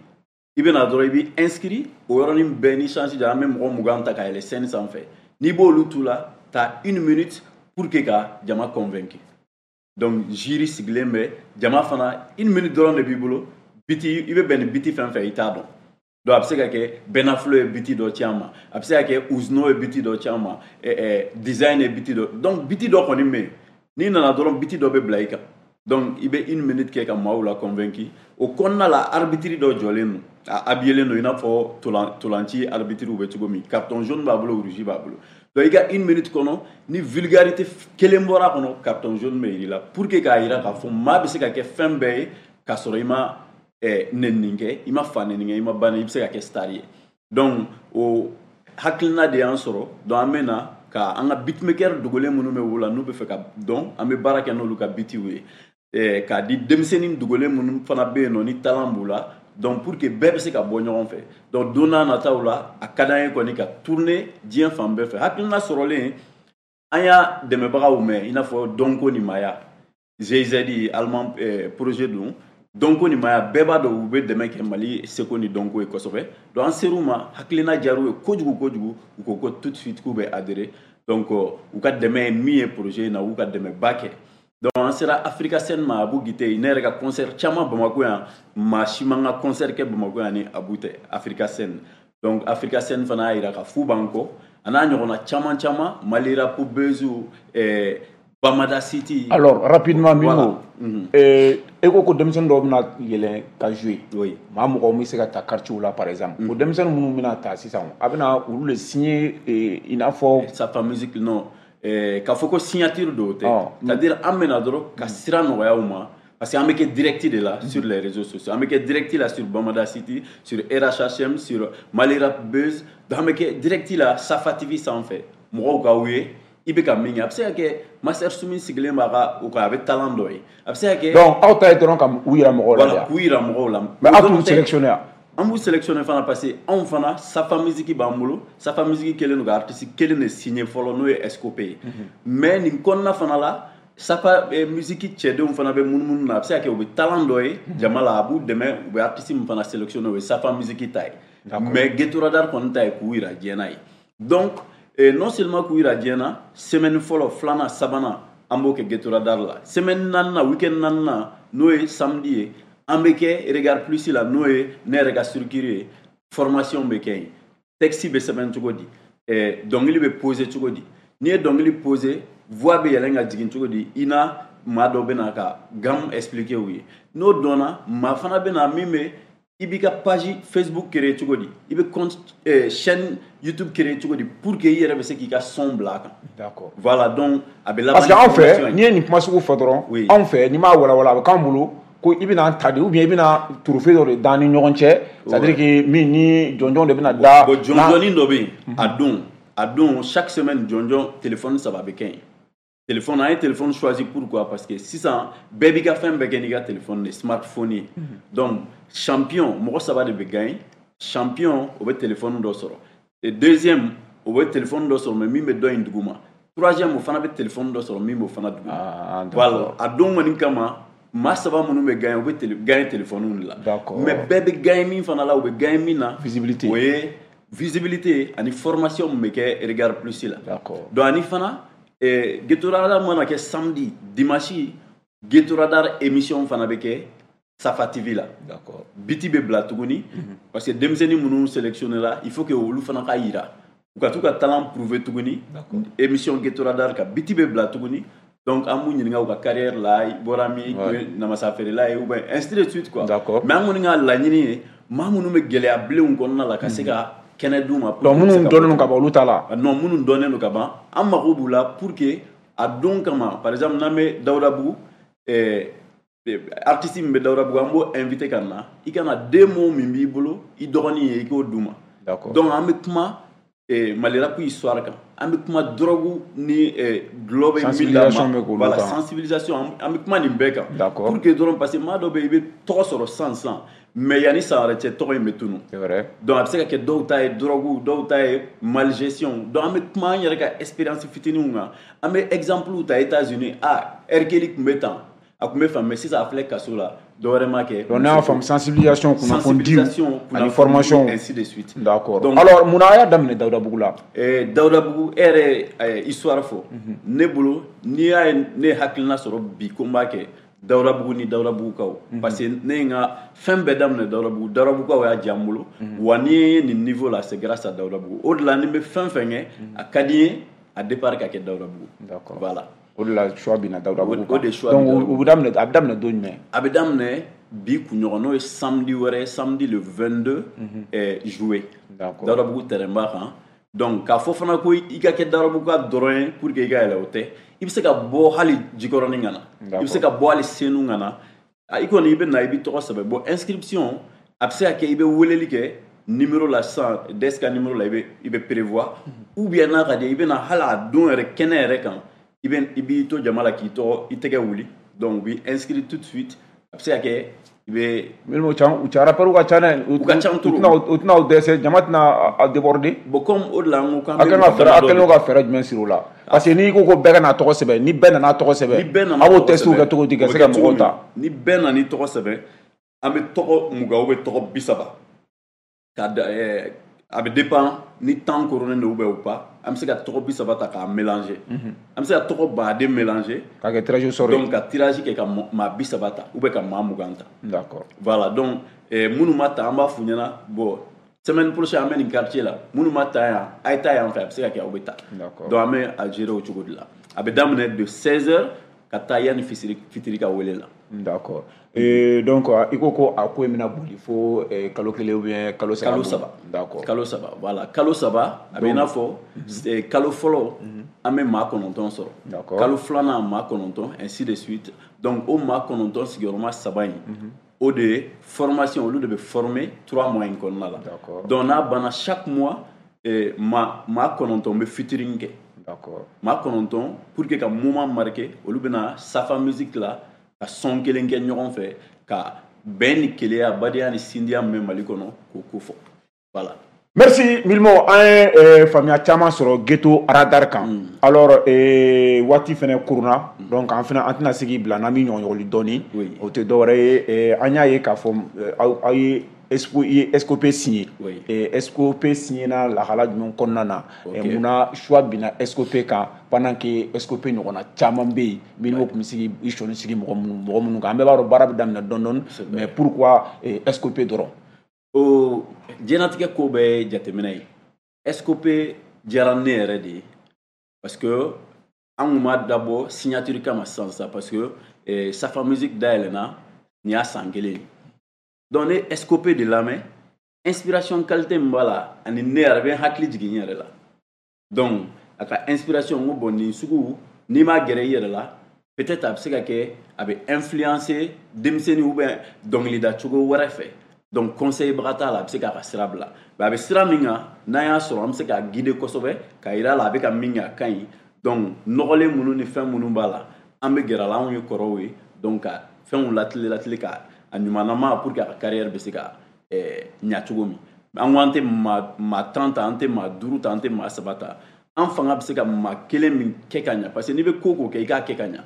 i bɛ na dɔrɔn, i b'i inscrit o yɔrɔnin bɛɛ. Ni chance jara, an bɛ mɔgɔ mugan ta ka yɛlɛ scène sanfɛ. N'i b'olu tu la, ta une minute pour que ka jama convaincre. Donc jury sigilen bɛ, jama fana, une minute dɔrɔn de b'i bolo. Beat, i bɛ bɛn ni beat fɛn fɛn, i t'a dɔn. Donc a bɛ se ka kɛ Benaflo ye beat dɔ ci an ma, a bɛ se ka kɛ Ouzno ye beat dɔ ci an ma, Design ye beat dɔ. Donc beat dɔ kɔni bɛ yen, n'i nana dɔrɔn, beat dɔ bɛ bila i kan. Donc i bɛ une minute kɛ ka maaw la convaincre. O kɔnɔna la, arbitre dɔ jɔlen don, a habillé don i n'a fɔ tolanci arbitre bɛ cogo min, carton jaune b'a bolo, rouge b'a bolo. Donc i ka une minute kɔnɔ, ni vulgarité kelen bɔra a kɔnɔ, carton jaune bɛ yir'i la, pour que k'a jira k'a fɔ maa bɛ se ka kɛ fɛn bɛɛ ye k'a sɔrɔ i ma nɛnini kɛ, i ma fa nɛni kɛ, i ma ba nɛni, i bɛ se ka kɛ star ye. Donc o hakilina de y'an sɔrɔ. Donc an bɛ na ka an ka beatmaker dogolen minnu bɛ wo la, n'u bɛ fɛ ka dɔn, an bɛ baara kɛ n'olu ka beatiw ye, k'a di denmisɛnnin dogolen minnu fana bɛ yen nɔ ni talent b'u la. Donc pour que bɛɛ bɛ se ka bɔ ɲɔgɔn fɛ. Donc don n'a nataw la, a ka d'an ye kɔni ka tourner diɲɛ fan bɛɛ fɛ. Hakilina sɔrɔlen, an y'a dɛmɛbagaw mɛn, i n'a fɔ dɔnko ni maaya, G I Z allemand projet don. Dɔnko ni maaya, bɛɛ b'a dɔn u bɛ dɛmɛ kɛ Mali seko ni dɔnko ye kosɛbɛ. Donc an ser'u ma, hakilina diyar'u ye kojugu kojugu, u ko ko tout de suite k'u bɛ adhérer. Donc u ka dɛmɛ ye min ye projet in na, u ka dɛmɛba kɛ. Donc an sera Africa Sen ma, Abu Gite. Ne yɛrɛ ka concert caman Bamakɔ yan, maa si man ka concert kɛ Bamakɔ yan ni Abu tɛ, Africa Sen. Donc Africa Sen fana y'a jira ka fu b'an kɔ, a n'a ɲɔgɔnna caman caman, Mali Rap Buzz, eh, Bamada City. Alors rapidement, Mimo, voilà. E ko ko denmisɛnnin dɔw bɛna yɛlɛn ka jouer. Oui. Maa mɔgɔw bɛ se ka ta quartier la par exemple. O denmisɛnnin minnu bɛna ta sisan, a bɛna olu le signer i n'a fɔ. Safa Music, non. K'a fɔ ko signature dɔw tɛ, c'est-à-dire an bɛna dɔrɔn ka sira nɔgɔya u ma, parce que an bɛ kɛ direct de la sur les réseaux sociaux, an bɛ kɛ direct la sur Bamada City, sur R H H M, sur Mali Rap Buzz. Donc an bɛ kɛ direct la Safa T V sanfɛ, mɔgɔw k'aw ye i bɛ ka min kɛ. A bɛ se ka kɛ Master Sumi sigilen b'a ka o kan, a bɛ talent dɔ ye, a bɛ se ka kɛ. Donc aw ta ye dɔrɔn ka u yira mɔgɔw la. Voilà, k'u yira mɔgɔw la. Mais aw t'u sélectionner. An b'u sélectionner fana, parce que anw fana, Safa Music b'an bolo. Safa Music kelen don ka artiste kelen de signer fɔlɔ, n'o ye S C O P ye. Mais nin kɔnɔna fana la, Safa Music cɛdenw fana bɛ munumunu na, a bɛ se ka kɛ u bɛ talent dɔ ye jama la, a b'u dɛmɛ, u bɛ artiste min fana sélectionner, o ye Safa Music ta ye. Mais Ghetto Radar kɔni ta ye k'u yira diɲɛ na ye. Donc non seulement k'u yira diɲɛ na, semaine fɔlɔ, filanan, sabanan, an b'o kɛ Ghetto Radar la. Semaine naaninan, week-end naaninan, n'o ye samedi ye, an bɛ kɛ Regard Plus la, n'o ye ne yɛrɛ ka structure ye. Formation bɛ kɛ yen, texte bɛ sɛbɛn cogo di, dɔnkili bɛ poser cogo di, n'i ye dɔnkili poser, voix bɛ yɛlɛn ka jigin cogo di, i na maa dɔ bɛ na ka gamme expliquer u ye. N'o dɔnna, maa fana bɛ na min bɛ i b'i ka page Facebook créer cogo di, i bɛ compte chaîne YouTube créer cogo di, pour que i yɛrɛ bɛ se k'i ka son bila a kan. D'accord. Voilà, donc a bɛ laban. Parce que anw fɛ, n'i ye nin kuma sugu fɔ dɔrɔn, anw fɛ, n'i m'a walawala, a bɛ k'an bolo ko i bɛna ta de, ou bien i bɛna trophée dɔ de d'an ni ɲɔgɔn cɛ, c'est à dire que min ni jɔnjɔn de bɛna da. Bon, jɔnjɔnin dɔ bɛ yen a don a don chaque semaine, jɔnjɔn téléphone saba bɛ kɛ yen. Téléphone, an ye téléphone choisi pourquoi? Parce que sisan bɛɛ b'i ka fɛn bɛɛ kɛ n'i ka téléphone de smartphone ye. Donc champion, mɔgɔ saba de bɛ gagner. Champion, o bɛ téléphone dɔ sɔrɔ, et deuxième, o bɛ téléphone dɔ sɔrɔ, mais min bɛ dɔ in duguma. Troisième, o fana bɛ téléphone dɔ sɔrɔ, min b'o fana duguma. Voilà, a don kɔni kama, maa saba minnu bɛ gagner, u bɛ gagner téléphone de la. Mais bɛɛ bɛ gagner min fana la, u bɛ gagner min na. Visibilité. O ye visibilité ani formation min bɛ kɛ Regard Plus la. D'accord. Donc ani fana, Ghetto Radar mana kɛ samedi, dimanche, Ghetto Radar émission fana bɛ kɛ Safa T V la. D'accord. Beat bɛ bila tuguni, parce que denmisɛnnin minnu sélectionné la, il faut que olu fana ka yira, u ka t'u ka talent prouver tuguni. Émission Ghetto Radar ka beat bɛ bila tuguni. Donc an b'u ɲininka u ka carrière la, i bɔra min, i tun ye namasa feerela ye ou bien ainsi de suite quoi. D'accord. Mais an kɔni ka laɲini ye maa minnu bɛ gɛlɛya bilenw kɔnɔna la ka se ka kɛnɛ d'u ma. Donc minnu dɔnnen don ka ban, olu t'a la. Non, minnu dɔnnen don ka ban, an mago b'u la pour que a don kama, par exemple n'an bɛ Dawudabugu, ɛɛ artiste min bɛ Dawudabugu, an b'o invité ka na, i ka na deux mots min b'i bolo i dɔgɔnin ye, i k'o d'u ma. D'accord. Donc an bɛ kuma Mali rap histoire kan, an bɛ kuma drogue ni dɔlɔ bɛ min la ma, voilà, sensibilisation, an bɛ kuma nin bɛɛ kan. D'accord. Pour que dɔrɔn, parce que maa dɔ bɛ yen i bɛ tɔgɔ sɔrɔ san san, mais yanni san wɛrɛ cɛ tɔgɔ in bɛ tunun. C'est vrai. Donc a bɛ se ka kɛ dɔw ta ye drogue, dɔw ta ye malgestion. Donc an bɛ kuma an yɛrɛ ka expérience fitininw kan, an bɛ exemple ta États-Unis, ah R. Kelly tun bɛ tan, a tun bɛ fan, mais sisan a filɛ kaso la, dɔ wɛrɛ ma kɛ. Donc n'a y'a faamu, sensibilisation, kunnafoni ani formation, ainsi de suite. D'accord. Donc alors munna a y'a daminɛ Dawudabugu la? Eh, Dawudabugu, e yɛrɛ histoire fɔ. Ne bolo, n'i y'a ye ne ye hakilina sɔrɔ bi ko n b'a kɛ Dawudabugu ni Dawudabugukaw, parce que ne ye n ka fɛn bɛɛ daminɛ Dawudabugu, Dawudabugukaw y'a diya n bolo, wa n'i ye nin niveau la, c'est grâce à Dawudabugu. O de la ni n bɛ fɛn fɛn kɛ, a ka di n ye a départ ka kɛ Dawudabugu. D'accord. Voilà. O de la choix bina Dawudabugu. O de choix. Donc o bɛ daminɛ, a bɛ daminɛ don jumɛn? A bɛ daminɛ bi kunɲɔgɔn, n'o ye samedi wɛrɛ, samedi le vingt-deux juillet. D'accord. Dawudabugu terrain ba kan. Donc k'a fɔ fana ko i ka kɛ Dawudabugu ka dɔrɔn ye pour que i ka yɛlɛ, o tɛ. I bɛ se ka bɔ hali Jikɔrɔni ka na. I bɛ se ka bɔ hali Senu ka na. I kɔni i bɛ na, i bɛ tɔgɔ sɛbɛn. Bon, inscription a bɛ se ka kɛ i bɛ weleli kɛ numéro la sisan, D E S ka numéro la, i bɛ i bɛ prévoir, ou bien n'a ka di i bɛ na hali a don yɛrɛ kɛnɛ yɛrɛ kan, i bɛ i b'i to jama la k'i tɔgɔ i tɛgɛ wuli. Donc u b'i inscrit tout de suite. A bɛ se ka kɛ i bɛ. Milimo ca, u ca rappeurs ka ca dɛ. U ka ca trop. U tɛna u dɛsɛ, jama tɛna a déborder. Bon, comme o de la n ko k'an bɛ. A kan ka fɛɛrɛ, a kɛlen don ka fɛɛrɛ jumɛn siri o la? Parce que n'i ko ko bɛɛ ka n'a tɔgɔ sɛbɛn, ni bɛɛ nana tɔgɔ sɛbɛn, ni bɛɛ nana a b'o test kɛ cogo di ka se ka mɔgɔw ta? Ni bɛɛ nana i tɔgɔ sɛbɛn, an bɛ tɔgɔ mugan ou bien tɔgɔ bi saba. Ka da ɛɛ a bɛ dépend ni temps koronnen don ou bien ou pas. An bɛ se ka tɔgɔ bi saba ta k'a mélanger. An bɛ se ka tɔgɔ baden mélanger. K'a kɛ tirage au sort ye. Donc ka tirage kɛ ka maa bi saba ta ou bien ka maa mugan ta. D'accord. Voilà, donc minnu ma ta, an b'a f'u ɲɛna, bon, semaine prochaine an bɛ nin quartier la, minnu ma ta yan, a ye taa yan fɛ, a bɛ se ka kɛ aw bɛ ta. D'accord. Donc an bɛ a gérer o cogo de la. A bɛ daminɛ de seize heures ka taa yanni fitiri fitiri ka wele la. D'accord. Et donc i ko ko a ko in bɛna boli fo kalo kelen ou bien kalo saba. Kalo saba. D'accord. Kalo saba, voilà, kalo saba a bɛ i n'a fɔ kalo fɔlɔ an bɛ maa kɔnɔntɔn sɔrɔ. D'accord. Kalo filanan maa kɔnɔntɔn, ainsi de suite. Donc o maa kɔnɔntɔn sigiyɔrɔma saba in, o de ye formation, olu de bɛ former trois mois in kɔnɔna la. D'accord. Donc n'a banna, chaque mois maa maa kɔnɔntɔn bɛ featuring kɛ. D'accord. Maa kɔnɔntɔn pour que ka moment marqué, olu bɛna Safa Music la ka son kelen kɛ ɲɔgɔn fɛ ka bɛn ni keleya, badenya ni sindiya min bɛ Mali kɔnɔ k'o ko fɔ. Voilà. Merci Milmo, an ye faamuya caman sɔrɔ Ghetto Radar kan. Alors waati fɛnɛ kurunna, donc an fɛnɛ an tɛna se k'i bila n'an bɛ ɲɔgɔnɲɔgɔnli dɔɔni. O tɛ dɔwɛrɛ ye, an y'a ye k'a fɔ aw ye S C O P signé. S C O P signé na lahala jumɛn kɔnɔna na? Munna choix binna S C O P kan pendant que S C O P ɲɔgɔnna caman bɛ yen, Milmo tun bɛ se k'i sɔnni sigi mɔgɔ minnu mɔgɔ minnu kan? An bɛɛ b'a dɔn baara bɛ daminɛ dɔɔni dɔɔni, mais pourquoi S C O P dɔrɔn? O diɲɛlatigɛ ko bɛɛ ye jateminɛ ye. S C O P diyara ne yɛrɛ de ye parce que an kun m'a dabɔ signature kama sisan sisan, parce que Safa Music dayɛlɛnna nin y'a san kelen ye. Donc ne S C O P de lamɛn, inspiration qualité min b'a la, ani ne yɛrɛ bɛ n hakili jigin n yɛrɛ la. Donc a ka inspiration, n ko bon, nin sugu n'i m'a gɛrɛ i yɛrɛ la, peut-être a bɛ se ka kɛ a bɛ influencer denmisɛnnin ou bien dɔnkilida cogo wɛrɛ fɛ. Donc conseil baga t'a la, a bɛ se k'a ka sira bila. Mais a bɛ sira min kan, n'an y'a sɔrɔ an bɛ se k'a guider kosɛbɛ k'a yira a la a bɛ ka min kɛ a ka ɲi. Donc nɔgɔlen minnu ni fɛn minnu b'a la, an bɛ gɛrɛ a la, anw ye kɔrɔw ye, donc ka fɛnw latile latile ka a ɲumanama pour que a ka carrière bɛ se ka ɲa cogo min. An ko an tɛ maa maa tan ta, an tɛ maa duuru ta, an tɛ maa saba ta. An fanga bɛ se ka maa kelen min kɛ ka ɲa, parce que n'i bɛ ko ko kɛ, i k'a kɛ ka ɲa.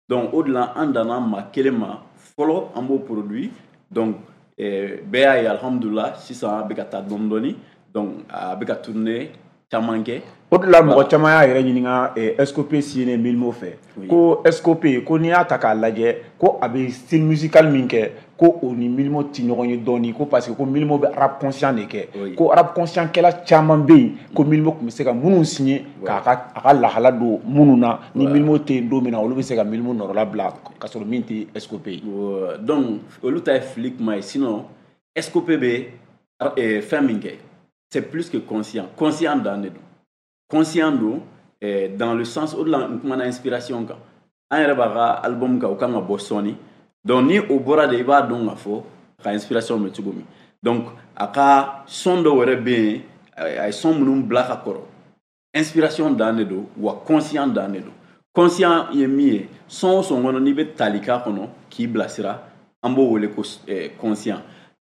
Donc o de la an danna maa kelen ma fɔlɔ, an b'o produit. Donc bɛɛ y'a ye, alhamdulilah, sisan a bɛ ka taa dɔɔni dɔɔni. Donc a bɛ ka tourner caman kɛ. O de la mɔgɔ caman y'a yɛrɛ ɲininka S C O P signé Milmo fɛ, ko S C O P, ko n'i y'a ta k'a lajɛ, ko a bɛ style musical min kɛ, Ko o ni Mylmo ti ɲɔgɔn ye dɔɔni, ko parce que ko Mylmo bɛ rap conscient de kɛ, ko rap conscient kɛla caman bɛ yen, ko Mylmo tun bɛ se ka minnu signer k'a ka a ka lahala don minnu na, ni Mylmo tɛ yen don min na, olu bɛ se ka Mylmo nɔrɔla bila ka sɔrɔ min tɛ S C O P ye. Donc olu ta ye fili kuma ye, sinon S C O P bɛ fɛn min kɛ, c'est plus que conscient, conscient dan de don, conscient don dans le sens o de la n kumana inspiration kan, an yɛrɛ b'a ka album kan, o kan ka bɔ sɔɔni. Donc ni o bɔra de, i b'a dɔn k'a fɔ a ka inspiration bɛ cogo min. Donc a ka son dɔw yɛrɛ bɛ yen, a ye son minnu bila ka kɔrɔ, inspiration dan de don, wa conscient dan de don. Conscient ye min ye, son o son kɔnɔ n'i bɛ tali k'a kɔnɔ k'i bilasira, an b'o wele ko conscient.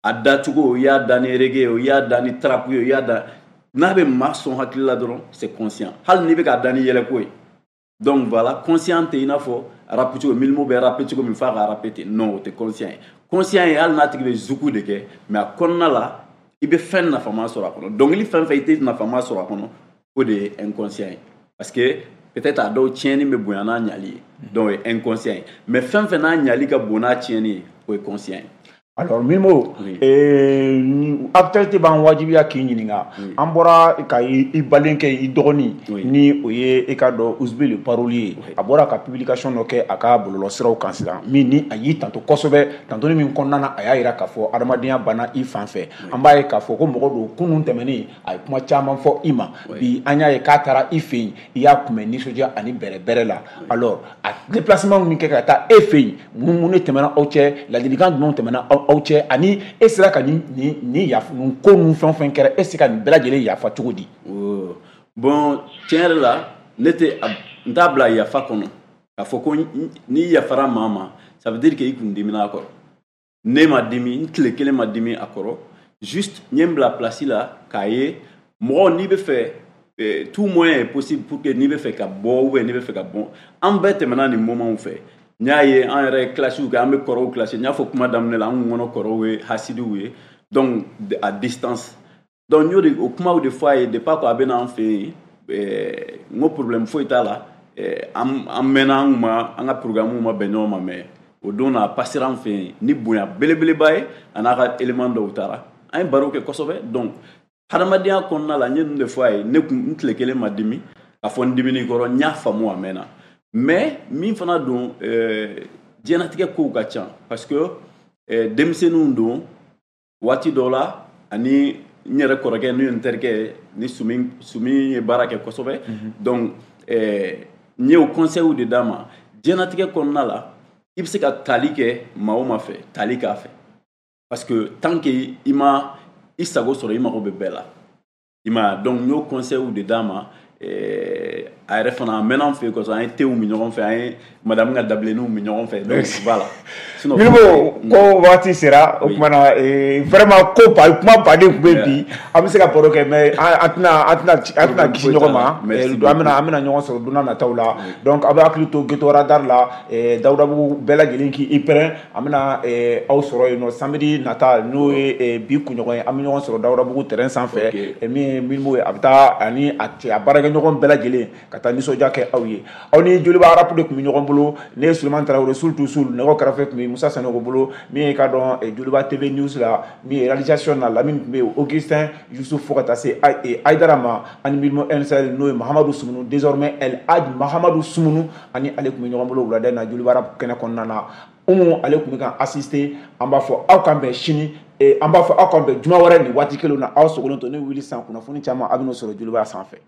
A dacogo, i y'a da ni reggae ye, i y'a da ni trap ye, i y'a da n'a bɛ maa sɔn hakili la dɔrɔn, c'est conscient. Hali n'i bɛ k'a da ni yɛlɛko ye. Donc voilà, conscient tɛ i n'a fɔ rap cogo, Mylmo bɛ rap cogo min f'a ka rap ten, non, o tɛ conscient ye. Conscient ye hali n'a tigi bɛ zuku de kɛ, mais a kɔnɔna la i bɛ fɛn nafama sɔrɔ a kɔnɔ. Dɔnkili fɛn fɛn i tɛ nafama sɔrɔ a kɔnɔ, o de ye inconscient ye, parce que peut-être a dɔw tiɲɛni bɛ bonya n'a ɲali ye, donc o ye inconscient ye. Mais fɛn fɛn n'a ɲali ka bon n'a tiɲɛni ye, o ye conscient ye. Alors Mylmo, oui. eh, actualité b'an wajibiya k'i ɲininka. Oui. An bɔra ka i balenkɛ, i dɔgɔnin, oui, ni o ye e ka dɔn Ousby le parolier, oui, a bɔra ka publication dɔ kɛ a ka bɔlɔlɔsiraw kan sisan, min ni a y'i tanto kosɛbɛ, tantoni min kɔnɔna na a y'a yira k'a fɔ adamadenya banna i fan fɛ. Oui. An b'a ye k'a fɔ ko mɔgɔ don kunun tɛmɛnen a ye kuma caman fɔ i ma. Oui. Bi an y'a ye k'a taara i fɛ yen, i y'a kunbɛn nisɔndiya ani bɛrɛbɛrɛ la. Oui. Alors a déplacement min kɛ ka taa e fɛ yen, mun mun de tɛmɛna aw cɛ, ladilikan jumɛnw tɛmɛna aw aw cɛ, ani e sera ka nin nin nin yafa nin ko ninnu fɛn o fɛn kɛra, e se ka nin bɛɛ lajɛlen yafa cogo di? Bon, tiɲɛ yɛrɛ la, ne tɛ n t'a bila yafa kɔnɔ k'a fɔ ko n'i yafara maa ma, ça veut dire que i kun dimina a kɔrɔ. Ne ma dimi, n tile kelen ma dimi a kɔrɔ, juste n ye n bila place la k'a ye mɔgɔ n'i bɛ fɛ, tout moyen est possible pour que n'i bɛ fɛ ka bɔ ou bien n'i bɛ fɛ ka bɔ, an bɛɛ tɛmɛna nin moment fɛ. N y'a ye an yɛrɛ classiw kɛ, an bɛ kɔrɔw classé, n y'a fɔ kuma daminɛ la, an kun kɔnɔ kɔrɔw ye hasidiw ye, donc à distance. Donc n y'o de o kumaw de fɔ a ye depuis ko a bɛ n'an fɛ yen, n ko problème foyi t'a la, an an mɛnna, an ma an ka programme ma bɛn ɲɔgɔn ma, mais o don na a passera an fɛ yen ni bonya belebeleba ye, a n'a ka élément dɔw taara, an ye baro kɛ kosɛbɛ. Donc hadamadenya kɔnɔna la, n ye ninnu de fɔ a ye, ne kun n tile kelen ma dimi k'a fɔ n dimini kɔrɔ, n y'a faamu a mɛnna. Mais min fana don, diɲɛnatigɛ kow ka ca, parce que denmisɛnninw don waati dɔ la, ani n yɛrɛ kɔrɔkɛ n'o ye n terikɛ ni Sumi, Sumi ye baara kɛ kosɛbɛ. Donc n ye o conseil de d'a ma, diɲɛnatigɛ kɔnɔna la i bɛ se ka tali kɛ maa o maa fɛ, tali k'a fɛ, parce que tant que i ma i sago sɔrɔ, i mago bɛ bɛɛ la, i ma. Donc n y'o conseil de d'a ma. A yɛrɛ fana a mɛnna an fɛ yen kosɛbɛ, an ye tew min ɲɔgɔn fɛ, an ye madame ka dabilenninw min ɲɔgɔn fɛ, donc voilà. Sinon Mylmo, ko waati sera o tuma na, vraiment ko ba kuma baden tun bɛ bi, an bɛ se ka baro kɛ, mais an tɛna an tɛna an tɛna kisi ɲɔgɔn ma, an bɛna an bɛna ɲɔgɔn sɔrɔ don n'a nataw la. Donc aw bɛ hakili to Ghetto Radar la, Dawudabugu bɛɛ lajɛlen k'i pɛrɛn, an bɛna aw sɔrɔ yen nɔ samedi nata, n'o ye bi kunɲɔgɔn ye, an bɛ ɲɔgɔn sɔrɔ Dawudabugu terrain sanfɛ, min ye Mylmo ye, a bɛ taa ani a cɛ a baarakɛɲɔgɔn bɛɛ lajɛlen ka taa nisɔndiya kɛ aw ye. Aw ni Joliba rap de tun bɛ ɲɔgɔn bolo, ne ye Sulemani Tarawele, Sul Sul, nɛgɛw kɛrɛfɛ tun bɛ Musa Sanogo bolo, min ye ka dɔn Joliba T V News la, min ye réalisation na Lamine tun bɛ yen, Augustin Youssouf, fo ka taa se Aïdara ma, ani Mylmo N S L n'o ye Mahamadu Sumunu, désormais El Hadj Mahamadu Sumunu, ani ale tun bɛ ɲɔgɔn bolo wulada in na Joliba rap kɛnɛ kɔnɔna na. Umu ale tun bɛ ka assister, an b'a fɔ aw k'an bɛn sini, an b'a fɔ aw k'an bɛn juma wɛrɛ nin waati kelen na, aw sogolen to ne wuli san kunnafoni caman a bɛ n'o sɔrɔ Joliba sanfɛ.